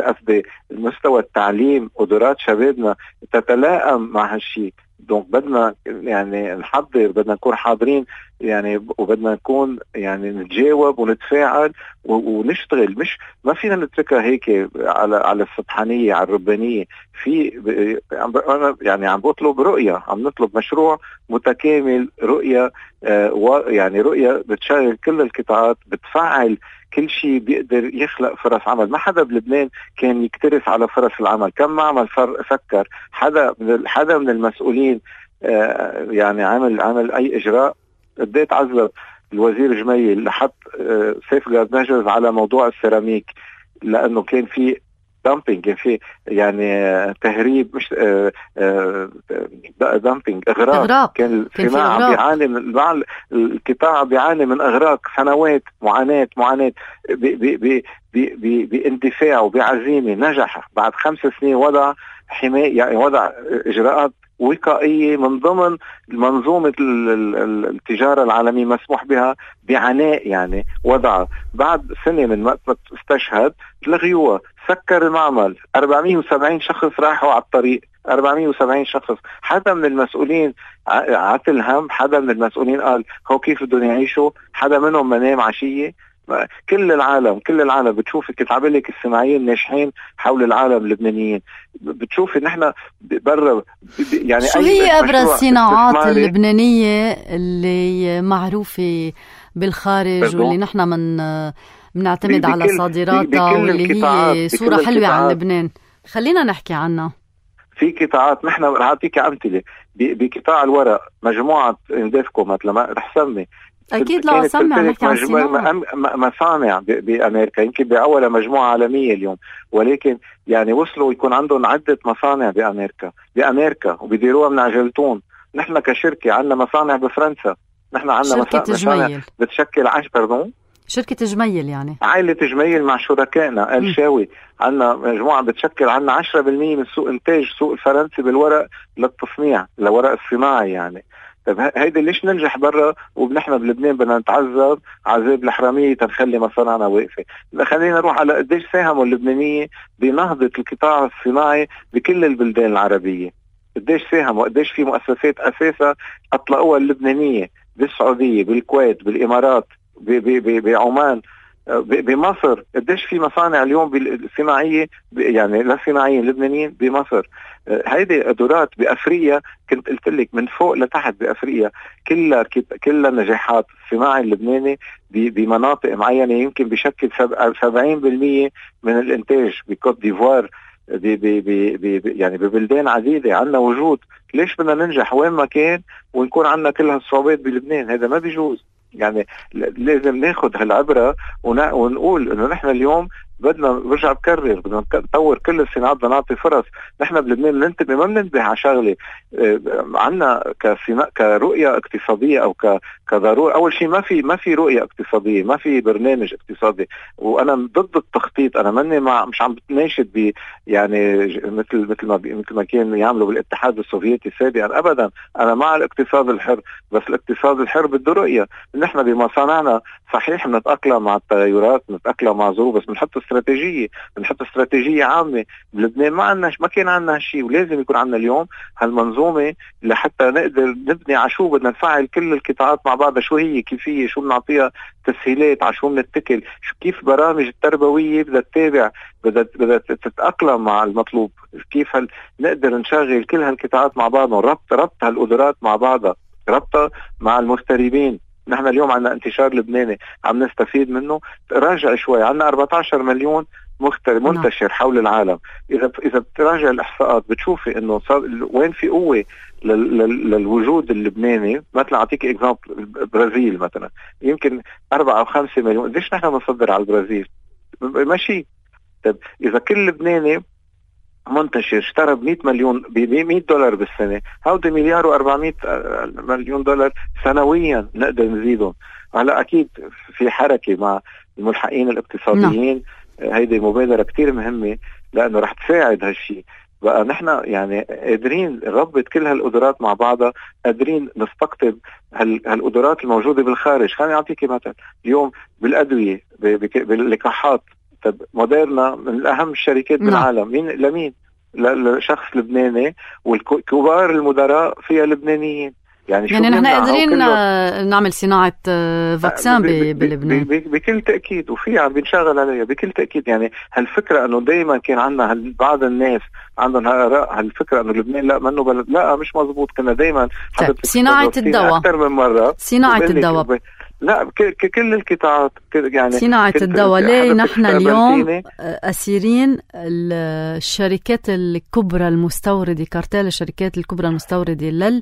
قصدي المستوى التعليم، قدرات شبابنا تتلائم مع هالشيء. دونك بدنا يعني نحضر، بدنا نكون حاضرين يعني، وبدنا نكون يعني نتجاوب ونتفاعل ونشتغل. مش ما فينا نتركها هيك على السطحانية، على الربانية. انا يعني عم بطلب رؤية، عم نطلب مشروع متكامل، رؤية يعني رؤية بتشغل كل القطاعات، بتفعل كل شيء بيقدر يخلق فرص عمل. ما حدا بلبنان كان يكترث على فرص العمل. كم معمل فكر حدا من المسؤولين يعني عمل اي اجراء؟ قديت عزل الوزير جميل لحط سيف جارد ميجرز على موضوع السيراميك، لانه كان في دامبينج، كان في يعني تهريب، مش دامبينج، اغراق. كان الصناعه بيعاني من القطاع بيعاني من اغراق سنوات، معاناه باندفاع وبعزيمه. نجح بعد 5 سنين وضع حماية، يعني وضع اجراءات وقائية من ضمن منظومة التجارة العالمية مسموح بها بعناء، يعني وضعها بعد سنة من وقت ما استشهد لغيوها. سكر المعمل، 470 شخص راحوا على الطريق، 470 شخص. حدا من المسؤولين عتل هم، حدا من المسؤولين قال هو كيف بدهم يعيشوا؟ حدا منهم منام عشية؟ كل العالم بتشوفي، كنت عم لك الصناعيين ناجحين حول العالم اللبنانيين، بتشوفي نحن برا يعني. شو هي ابرز الصناعات اللبنانية اللي معروفة بالخارج واللي نحن بنعتمد على صادراتها واللي هي صورة حلوة عن لبنان؟ خلينا نحكي عنها. في قطاعات، نحن رح اعطيك امثله. بقطاع الورق مجموعة اندفكو مثلا، رح سمي اكيد لا سمع، نحكي عن مصانع بامريكا، يمكن باول مجموعه عالميه اليوم، ولكن يعني وصلوا يكون عندهم عده مصانع بامريكا وبيديروها من عجلتون. نحن كشركه عندنا مصانع بفرنسا، نحن عندنا مصانع بتشكل شركة جميل، يعني عائلة جميل مع شركائنا الشاوي. عندنا مجموعة بتشكل عنا 10% من سوق إنتاج سوق الفرنسي بالورق للتصنيع، لورق الصناعي يعني. طيب هيدا ليش ننجح برا ونحن بلبنان بدنا نتعذب عذاب الحرامية تنخلي مصانعنا واقفة؟ خلينا نروح على قديش ساهموا اللبنانية بنهضة القطاع الصناعي بكل البلدان العربية. قديش ساهموا، قديش في مؤسسات أساسا أطلقوها اللبنانية بالسعودية، بالكويت، بالإمارات، بعمان، بمصر. قديش في مصانع اليوم بالصناعية، يعني للصناعيين اللبنانيين بمصر. هيدي قدرات بأفريقيا، كنت قلت لك من فوق لتحت بأفريقيا كلها نجاحات. الصناعي اللبناني بمناطق معينة يمكن بشكل 70% من الانتاج. بكوت ديفوار، يعني ببلدان عديدة عندنا وجود. ليش بدنا ننجح وين ما كان ونكون عندنا كل هالصعوبات بلبنان؟ هذا ما بيجوز. يعني لازم ناخد هالعبرة ونقول انه نحن اليوم بدنا، برجع بكرر، بدنا نطور كل الصناعات، بدنا نعطي فرص. نحن بلبنان ننتبه، ما بننتبه على شغله. عنا كرؤية اقتصادية او كضرورة. اول شيء ما في رؤية اقتصادية، ما في برنامج اقتصادي. وانا ضد التخطيط. انا ماني مش عم بتناشد يعني مثل ما كان يعملوا بالاتحاد السوفيتي سابقا، ابدا. انا مع الاقتصاد الحر، بس الاقتصاد الحر بده رؤية. نحن بمصانعنا صحيح بنتأقلم مع التغيرات، بنتأقلم مع ظروف، بس بنحط استراتيجية، بنحط استراتيجية عامة. بلبنان ما كان عنا هالشيء، ولازم يكون عنا اليوم هالمنظومة لحتى نقدر نبني على شو بدنا نفعل كل القطاعات مع بعضها، شو هي كيفية، شو بنعطيها تسهيلات، على شو بنتكل، كيف برامج التربوية بدها تتابع، بدها تتأقلم مع المطلوب، كيف نقدر نشغل كل هالقطاعات مع بعضها، ربط هالقدرات مع بعضها، ربطها مع المغتربين. نحن اليوم عنا انتشار لبناني عم نستفيد منه. راجع شوي، عنا 14 مليون مغترب منتشر حول العالم. إذا بتراجع الإحصاءات بتشوفي إنه وين في قوة للوجود اللبناني. مثلا أعطيك إكزامبل، البرازيل مثلا يمكن 4 أو 5 مليون. ليش نحن نصدر على البرازيل؟ ماشي. طيب إذا كل لبناني منتشر اشترى ب$100 مليون $100 بالسنة، هودي $1.4 مليار سنويا نقدر نزيدهم. هلا أكيد في حركة مع الملحقين الاقتصاديين. هيدي مبادرة كتير مهمة لأنه رح تساعد هالشي. بقى نحن يعني قادرين نربط كل هالقدرات مع بعضها، قادرين نستقطب هالقدرات الموجودة بالخارج. خليني أعطيك مثلا، اليوم بالأدوية باللقاحات، طب موديرنا من أهم الشركات بالعالم. لمين؟ لشخص لبناني، والكبار المدراء فيها لبنانيين. يعني نحن قادرين نعمل صناعة فاكسان بلبنان بكل تأكيد، وفي عم بنشغل عليها بكل تأكيد. يعني هالفكرة أنه دايما كان عندنا بعض الناس عندهم هالفكرة أنه لبنان لا منه بلد، لا مش مزبوط. كنا دايما صناعة الدواء أكثر من مرة، صناعة الدواء لا كل القطاعات يعني صناعة الدواء. ليه نحن اليوم أسيرين الشركات الكبرى المستوردة، كارتيل الشركات الكبرى المستوردة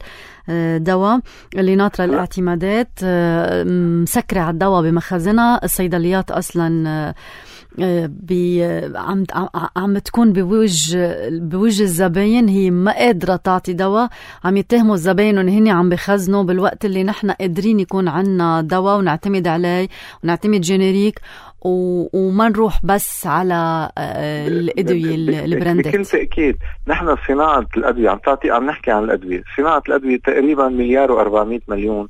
للدواء اللي ناطرة الاعتمادات، مسكرة على الدواء بمخازنها. الصيدليات أصلا عم تكون بوجه الزباين، هي ما قادرة تعطي دواء، عم يتهموا الزباين ان هن عم بخزنوا، بالوقت اللي نحن قادرين يكون عنا دواء ونعتمد عليه ونعتمد جينيريك وما نروح بس على الأدوية البراندات. بكل تأكيد نحن صناعة الأدوية عم نحكي عن الأدوية. صناعة الأدوية تقريبا $1.4 مليار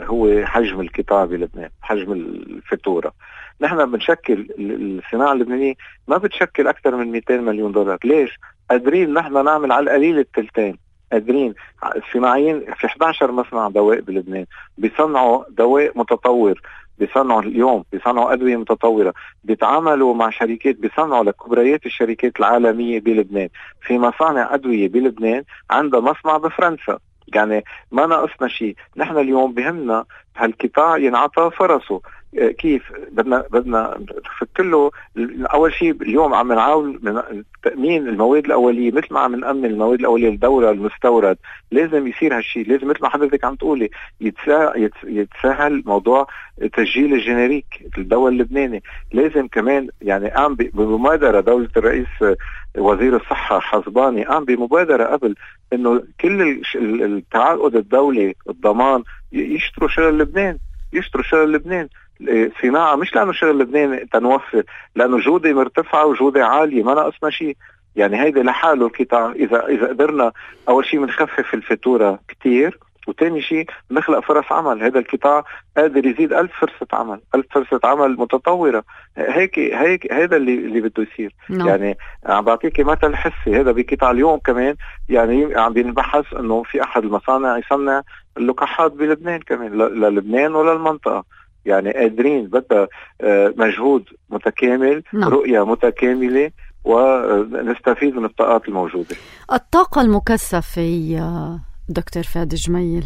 هو حجم القطاع بلبنان، حجم الفاتورة. نحن بنشكل الصناعة اللبنانية ما بتشكل أكثر من $200 مليون. ليش؟ قادرين نحن نعمل على القليل التلتين. قادرين الصناعيين في 11 مصنع دواء بلبنان بيصنعوا دواء متطور، بيصنعوا أدوية متطورة، بيتعاملوا مع شركات بيصنعوا لكبريات الشركات العالمية بلبنان. في مصانع أدوية بلبنان عندها مصنع بفرنسا. يعني ما ناقصنا شيء. نحن اليوم بهمنا هالقطاع ينعطى فرصه. كيف بدنا نفك له؟ اول شيء اليوم عم نعاون من تامين المواد الاوليه، مثل ما عم نامن المواد الاوليه للدوله المستورد. لازم يصير هالشيء، لازم مثل ما حضرتك عم تقولي يتسهل موضوع تسجيل الجينيريك الدواء اللبناني. لازم كمان يعني قام بمبادره دوله الرئيس وزير الصحه حزباني قام بمبادره قبل انه كل التعاقد الدولي الضمان يشتروا شغل لبنان. صناعة مش لأنه شغل لبنان تنوفر، لأنه جودة مرتفعة وجودة عالية، ما ناقصنا شيء. يعني هيدا لحاله القطاع. إذا قدرنا أول شيء منخفف الفاتورة كتير، وتاني شيء نخلق فرص عمل. هذا القطاع قادر يزيد 1000 فرصة عمل متطورة. هيك هذا اللي بده يصير. يعني عم بعطيك مثل حسي. هذا بقطاع اليوم كمان يعني عم بينبحث انه في احد المصانع يصنع اللقاحات بلبنان كمان، للبنان وللمنطقة. يعني قادرين، بدها مجهود متكامل، رؤية متكاملة، ونستفيد من الطاقات الموجودة. الطاقة المكثفة يا دكتور فادي جميل،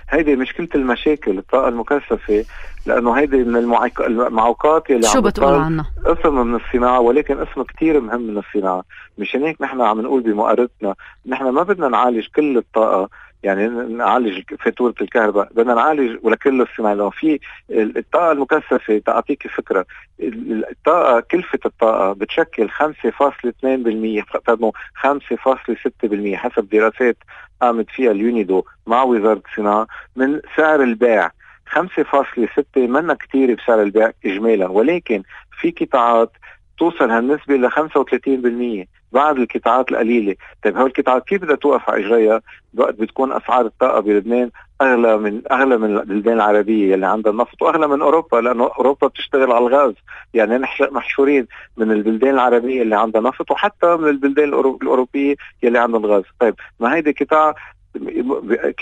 هيدي مشكلة المشاكل. الطاقة المكثفة لأنه هيدي من المعوقات اللي شو بتقول عنها؟ اسم من الصناعة، ولكن اسم كتير مهم من الصناعة. مشان هيك نحن عم نقول بمقارنتنا نحن ما بدنا نعالج كل الطاقة، يعني نعالج فاتورة الكهرباء، بدنا نعالج ولكل الصناعة. لو في الطاقة المكثفة، تعطيك فكرة، الطاقة كلفة الطاقة بتشكل 5.2%، 5.6% حسب دراسات قامت فيها اليونيدو مع وزارة الصناعة من سعر البيع. 5.6 منا كتير بسعر البيع إجمالا، ولكن في قطاعات توصل هالنسبة ل 35% بعد القطاعات القليلة. طيب هول القطاعات كيف بدها توقف على إجرائها وقت بتكون أسعار الطاقة بلبنان أغلى من البلدان العربية اللي عندها النفط، وأغلى من أوروبا، لأنه أوروبا بتشتغل على الغاز. يعني نحن محشورين من البلدان العربية اللي عندها نفط، وحتى من البلدان الأوروبية اللي عندها الغاز. طيب ما هيدي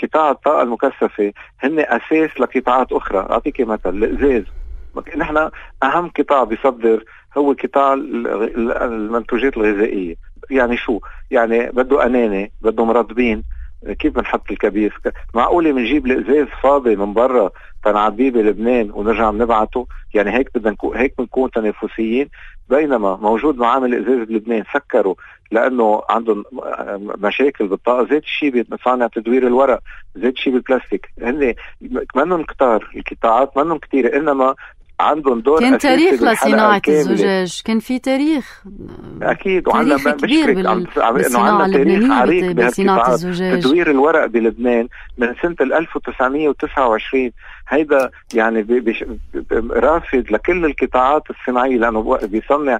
قطاع الطاقة المكثفة هن أساس لقطاعات أخرى. أعطيك مثل الإزاز. نحن أهم قطاع بيصدر هو قطاع المنتوجات الغذائية. يعني شو؟ يعني بده أنانة، بده مرطبين. كيف بنحط الكبيس؟ معقولة بنجيب الإزاز فاضي من برا تنعبيه بلبنان ونرجع نبعته؟ يعني هيك بنكون تنافسيين. بينما موجود معامل الإزاز بلبنان سكروا لأنه عندهم مشاكل بالطاقة. زيت الشيء بمصانع تدوير الورق، زيت الشيء بالبلاستيك. هن منهم كتار القطاعات، منهم كتير، إنما عندهم دور كان تاريخ لصناعة الزجاج، كان في تاريخ أكيد، وعندنا كبير بالصناعة اللبنانية بصناعة الزجاج. تدوير الورق بلبنان من سنة 1929 هيدا يعني رافد لكل القطاعات الصناعية، لأنه بيصنع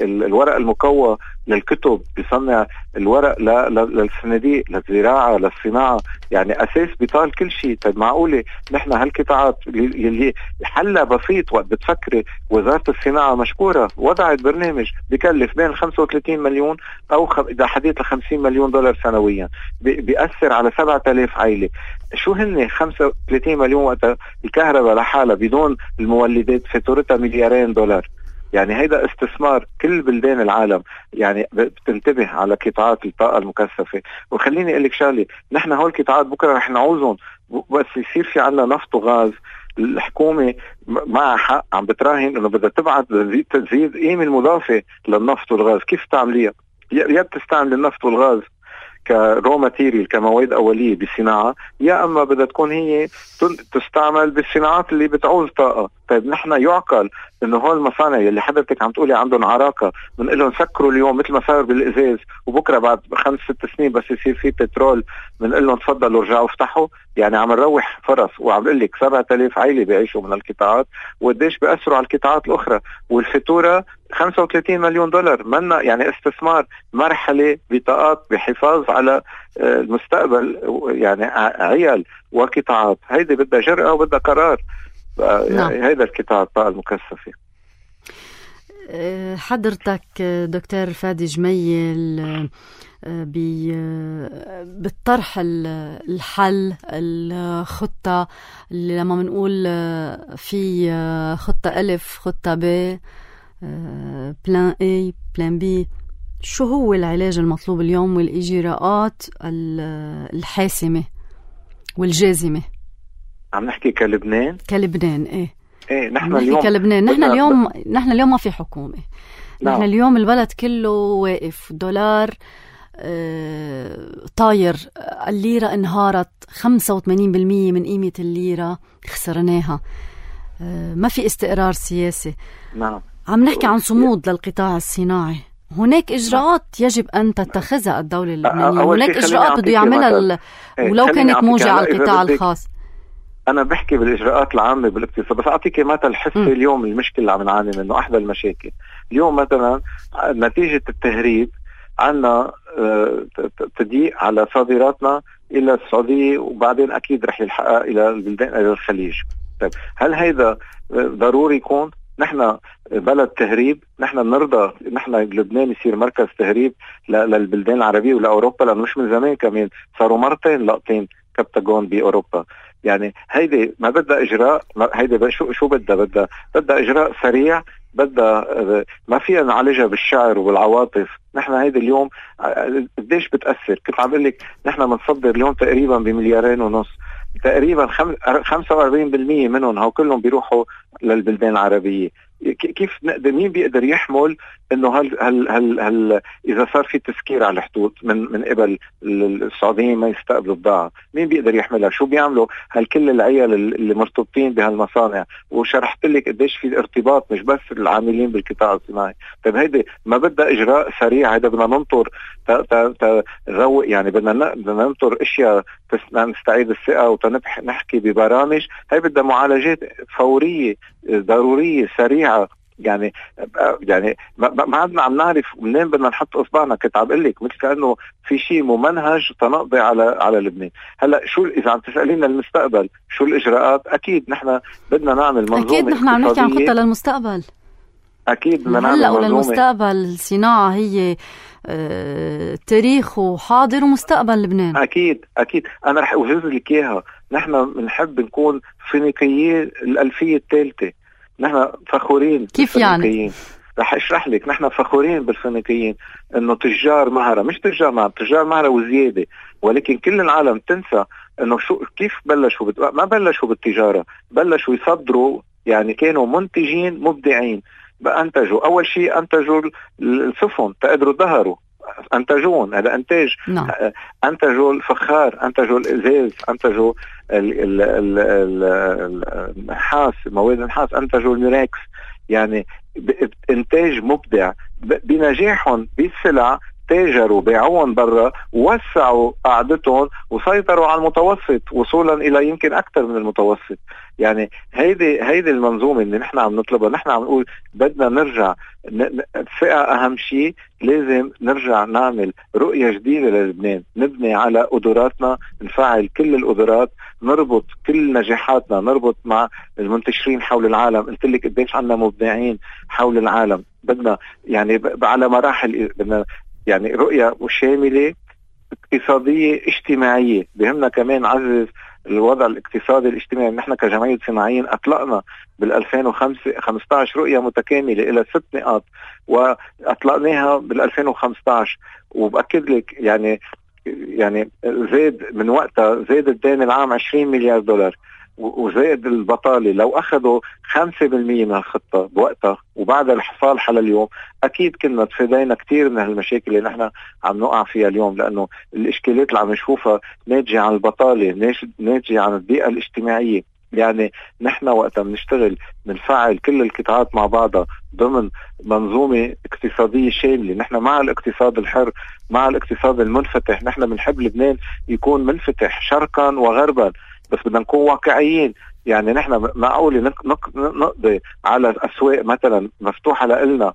الورق المكوى للكتب، بيصنع الورق للصناديق، للزراعة، للصناعة. يعني أساس بيطال كل شيء. طيب معقولة نحن هالقطاعات اللي حلها بسيط؟ وقت بتفكري وزارة الصناعة مشكورة وضعت برنامج بيكلف بين 35 مليون أو إذا حديث $50 مليون سنويا، بيأثر على 7000 عائلة. شو هن 35 مليون وقت الكهرباء لحالها بدون المولدات فاتورتها $2 مليار؟ يعني هيدا استثمار. كل بلدان العالم يعني بتنتبه على قطاعات الطاقة المكثفة. وخليني أقول لك شغلة، نحن هول القطاعات بكرة رح نعوزهم، بس يصير في عنا نفط وغاز. الحكومة مع حق عم بتراهن انه بدها تبعت تزيد قيمة المضافة للنفط والغاز. كيف تعمليها؟ يا بتستعمل النفط والغاز كرو ماتيريال، كمواد أولية بالصناعة، يا أما بدها تكون هي تستعمل بالصناعات اللي بتعوز طاقة. طيب نحن يعقل إنه هول المصانع اللي حضرتك عم تقولي عندهم عراقة بنقول لهم سكروا اليوم مثل ما صار بالإزاز، وبكرة بعد 5-6 سنين بس يصير في بترول بنقول لهم تفضلوا رجعوا افتحوا؟ يعني عم نروح فرص. وعم بقول لك 7000 عائلة بيعيشوا من القطاعات، وقديش بيأثروا على القطاعات الأخرى، والفاتورة $35 مليون. منا يعني استثمار مرحلة بطاقات بحفاظ على المستقبل، يعني عيال وقطاعات. هيدي بدها جرأة وبدها قرار. هيدا القطاع الطاقة المكثفة. حضرتك دكتور فادي جميل بالطرح الحل الخطة اللي لما منقول في خطة ألف، خطة ب، بلان A، بلان B، شو هو العلاج المطلوب اليوم والإجراءات الحاسمة والجازمة؟ عم نحكي كلبنان ايه نحن اليوم كلبنان. نحن اليوم ما في حكومة. نحن اليوم البلد كله واقف، دولار طاير، الليرة انهارت 85% من قيمة الليرة خسرناها، ما في استقرار سياسي. عم نحكي عن صمود للقطاع الصناعي. هناك إجراءات يجب أن تتخذها الدولة اللبنانية، هناك إجراءات بده يعملها ولو كانت موجة على القطاع الخاص. أنا بحكي بالإجراءات العامة بالاقتصاد، بس أعطيك مثل حسي. اليوم المشكلة اللي عم نعاني منه، أحدى المشاكل اليوم مثلا نتيجة التهريب عنا تضييق على صادراتنا إلى السعودية، وبعدين أكيد رح يلحقها إلى البلدان، إلى الخليج. طيب هل هيدا ضروري يكون؟ نحن بلد تهريب، نحن بنرضى نحن لبنان يصير مركز تهريب للبلدان العربية ولأوروبا؟ لأنه مش من زمان كمان صاروا مرتين لقطين كبتاغون بأوروبا. يعني هيدي ما بدها إجراء، هيدي شو بدها إجراء سريع، بدها ما فيها نعالجها بالشعر وبالعواطف. نحن هيدي اليوم قديش بتأثر؟ كنت عم بقول لك نحن بنصدر اليوم تقريبا $2.5 مليار، تقريبا 45% منهم هو كلهم بيروحوا للبلدان العربية. كيف مين بيقدر يحمل انه هل اذا صار في تسكير على الحدود من قبل السعوديين ما يستقبلوا بضاعة؟ مين بيقدر يحملها؟ شو بيعملوا كل العيال اللي مرتبطين بهالمصانع؟ وشرحت لك قديش في ارتباط مش بس العاملين بالقطاع الصناعي. طيب هيدي ما بدها اجراء سريع، هيدا بدنا ننطر نروق، يعني بدنا ننطر اشياء نستعيد الثقة وتنحكي ببرامج. هي بدها معالجات فورية ضرورية سريعة يعني ما عدنا عم نعرف منين بدنا نحط اصبعنا. كنت عم اقول لك مثل كانه في شيء ممنهج تنقضي على لبنان. هلا شو اذا عم تسالينا المستقبل شو الاجراءات؟ اكيد نحن بدنا نعمل منظومه. اكيد نحن عم نحكي عن خطه للمستقبل. اكيد بدنا نعمل هلا منظومه وللمستقبل. الصناعه هي تاريخ وحاضر ومستقبل لبنان. اكيد انا رح اوجز لك اياها. نحن بنحب نكون فينيقيين الالفيه الثالثه. نحن فخورين كيف يعني؟ رح اشرح لك. نحن فخورين بالفينيقيين انه تجار مهره، مش تجار مهره وزياده، ولكن كل العالم تنسى انه كيف بلشوا ما بلشوا بالتجاره، بلشوا يصدروا. يعني كانوا منتجين مبدعين. انتجوا اول شيء، انتجوا السفن تقدروا ظهروا، انتجون. هذا انتاج. انتجوا الفخار، انتجوا الازاز، انتجوا النحاس، مواد النحاس، انتجوا الميراكس. يعني انتاج مبدع. بنجاحهم بالسلع تاجروا، بيعوهم برا، ووسعوا قاعدتهم وسيطروا على المتوسط وصولا الى يمكن اكثر من المتوسط. يعني هيدي المنظومه اللي نحن عم نطلبها. نحن عم نقول بدنا نرجع الثقه اهم شيء. لازم نرجع نعمل رؤيه جديده للبنان، نبني على قدراتنا، نفعل كل القدرات، نربط كل نجاحاتنا، نربط مع المنتشرين حول العالم. قلت لك قديش عندنا مبدعين حول العالم. بدنا يعني على مراحل، بدنا يعني رؤية شاملة اقتصادية اجتماعية. بهمنا كمان نعزز الوضع الاقتصادي الاجتماعي. نحن كجمعية صناعيين أطلقنا بال2015 رؤية متكاملة إلى 6 نقاط، وأطلقناها بال2015. وبأكد لك يعني زاد من وقتها، زاد الدين العام 20 مليار دولار، وزائد البطالة. لو أخذوا 5% من الخطة بوقتها وبعد الحصال على اليوم، أكيد كنا تفادينا كتير من هالمشاكل اللي نحن عم نقع فيها اليوم. لأنه الإشكالات اللي عم نشوفها ناتجة عن البطالة، ناتجة عن البيئة الاجتماعية. يعني نحن وقتها بنشتغل بنفعل كل القطاعات مع بعضها ضمن منظومة اقتصادية شاملة. نحن مع الاقتصاد الحر، مع الاقتصاد المنفتح. نحن بنحب لبنان يكون منفتح شرقا وغربا، بس بدنا نكون واقعيين. يعني نحن معقول نقضي على أسواق مثلا مفتوحة لنا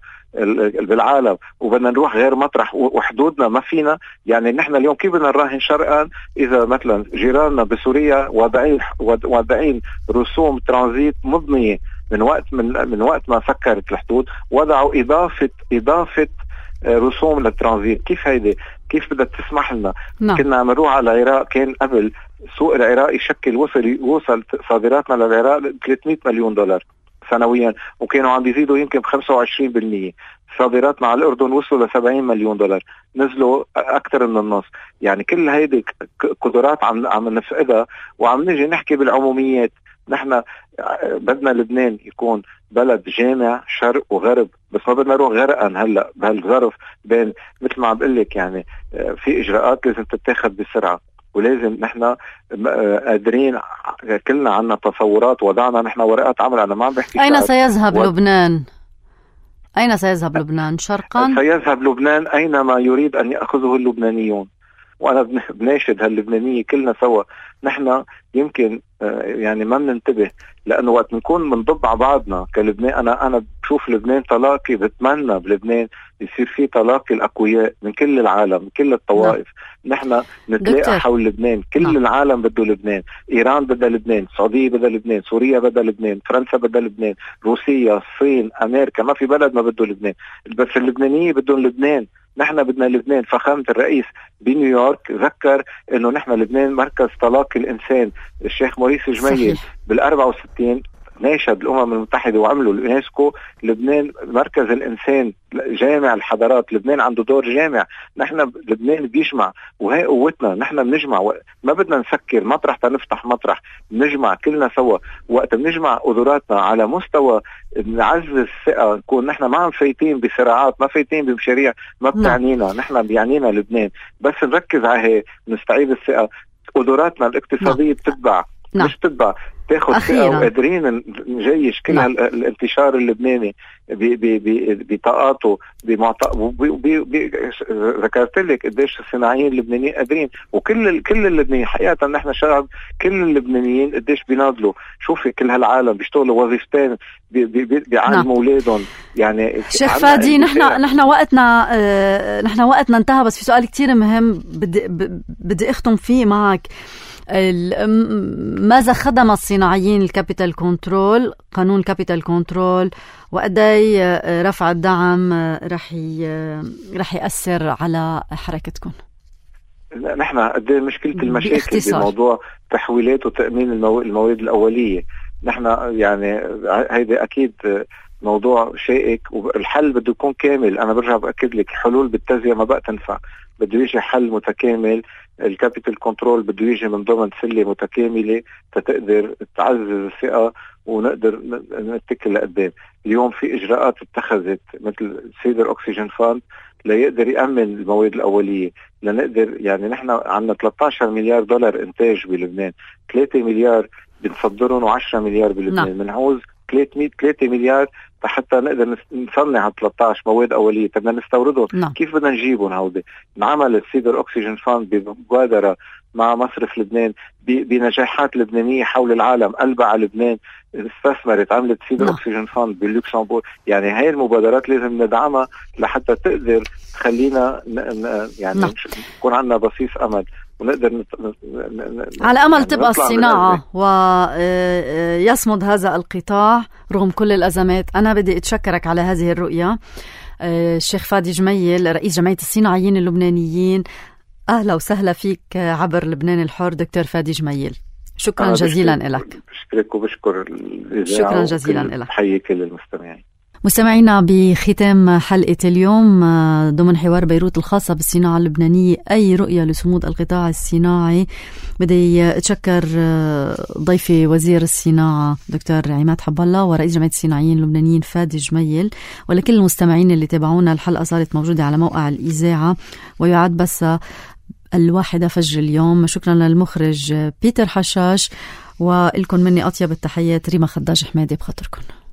بالعالم وبدنا نروح غير مطرح وحدودنا ما فينا؟ يعني نحن اليوم كيف بدنا نراهن شرقا إذا مثلا جيراننا بسوريا واضعين رسوم ترانزيت مضنية من وقت ما سكرت الحدود، وضعوا إضافة رسوم للترانزيت. كيف بدها تسمح لنا؟ كنا عم نروح على العراق، كان قبل سوق العراق يشكل وصل صادراتنا للعراق 300 مليون دولار سنويا، وكانوا عم بيزيدوا يمكن ب25%. صادراتنا على الأردن وصلوا ل70 مليون دولار، نزلوا أكثر من النص. يعني كل هيدي قدرات عم نفقدها، وعم نجي نحكي بالعموميات. نحن بدنا لبنان يكون بلد جامع شرق وغرب، بس ما بدنا نروح غرقا هلا بهالظرف بين مثل ما عم بقول لك. يعني في اجراءات لازم تتاخذ بسرعه، ولازم نحن قادرين. كلنا عنا تصورات، وضعنا نحن ورقات عمل. انا ما عم بحكي اين سيذهب لبنان؟ اين سيذهب لبنان؟ شرقا؟ سيذهب لبنان اينما يريد ان ياخذه اللبنانيون. وانا بناشد هاللبنانيه كلنا سوا. نحن يمكن يعني ما بننتبه، لانه وقت نكون بنضب على بعضنا كلبنان. انا بشوف لبنان تلاقي، بتمنى بلبنان يصير في تلاقي الاقوياء من كل العالم، من كل الطوائف. نحن نتلاقى حول لبنان. كل العالم بده لبنان. ايران بدها لبنان، السعوديه بدها لبنان، سوريا بدها لبنان، فرنسا بدها لبنان، روسيا، الصين، امريكا، ما في بلد ما بده لبنان. بس اللبنانيين بدهم لبنان. نحن بدنا لبنان. فخامة الرئيس بنيويورك ذكر انه نحن لبنان مركز تلاقي الانسان. الشيخ موريس جميل بال64 ناشد الامم المتحدة وعملوا اليونسكو لبنان مركز الانسان، جامع الحضارات. لبنان عنده دور جامع. نحن لبنان بيجمع، وهي قوتنا. نحن بنجمع، ما بدنا نسكر مطرح تنفتح مطرح. بنجمع كلنا سوا. وقت بنجمع قدراتنا على مستوى نعزز الثقة، نكون نحن ما عم فايتين بصراعات، ما فايتين بمشاريع ما بتعنينا. نحن بيعنينا لبنان. بس نركز على هي، نستعيد الثقة. قدراتنا الاقتصادية بتتبع، مش تتبع. تاخد ثقة وقادرين نجيش كل الانتشار اللبناني بطاقاته ذكرت لك قديش الصناعيين اللبنانيين قادرين، وكل اللبنانيين حقيقة نحن شعب كل اللبنانيين قديش بيناضلوا. شوفي كل هالعالم بيشتغلوا وظيفتين بيعلموا اولادهم. يعني شيخ فادي نحن وقتنا انتهى، بس في سؤال كتير مهم بدي اختم فيه معك. ماذا خدم الصناعيين الكابيتال كنترول، قانون الكابيتال كنترول، وقدي رفع الدعم رح يأثر على حركتكم؟ نحن قد ايه مشكلة المشاكل بموضوع تحويلات وتأمين المواد الأولية. نحن يعني هيدا أكيد موضوع شائك، والحل بده يكون كامل. أنا برجع بأكد لك الحلول بالتزية ما بقى تنفع، بده يجي حل متكامل. الكابيتال كنترول بده يجي من ضمن سلة متكاملة تقدر تعزز الثقة ونقدر نتكل لقدام. اليوم في إجراءات اتخذت مثل سيدر أكسجين فاند ليقدر يأمن المواد الأولية، لنقدر يعني نحن عندنا 13 مليار دولار إنتاج بلبنان، 3 مليار بنصدرهم و10 مليار بلبنان. بنعوز 3 مليار حتى نقدر نصنع 13 مواد أولية. بدنا نستوردهم. كيف بدنا نجيبهم هودي؟ انعمل السيدر أكسجين فاند بمبادرة مع مصرف لبنان بنجاحات لبنانية حول العالم. قلبها على لبنان، استثمرت، عملت سيدر أكسجين فاند باللوكسمبورغ. يعني هاي المبادرات لازم ندعمها لحتى تقدر تخلينا يعني يكون عندنا بصيص أمل ونقدر على أمل تبقى الصناعة ويصمد هذا القطاع رغم كل الأزمات. أنا بدي أتشكرك على هذه الرؤية الشيخ فادي جميل، رئيس جمعية الصناعيين اللبنانيين. أهلا وسهلا فيك عبر لبنان الحر دكتور فادي جميل. شكرا جزيلا لك. بشكرك وبشكر الإذاعة. شكرا جزيلا لك. بحيي كل المستمعين. مستمعينا، بختام حلقة اليوم ضمن حوار بيروت الخاصة بالصناعة اللبنانية، أي رؤية لصمود القطاع الصناعي؟ بدي أتشكر ضيفي وزير الصناعة دكتور عماد حب الله ورئيس جمعية الصناعيين اللبنانيين فادي جميل، ولكل المستمعين اللي تابعونا. الحلقة صارت موجودة على موقع الإذاعة ويعاد بس 1 فجر اليوم. شكرا للمخرج بيتر حشاش، ولكم مني أطيب التحيات. ريما خداج حمادي بخاطركم.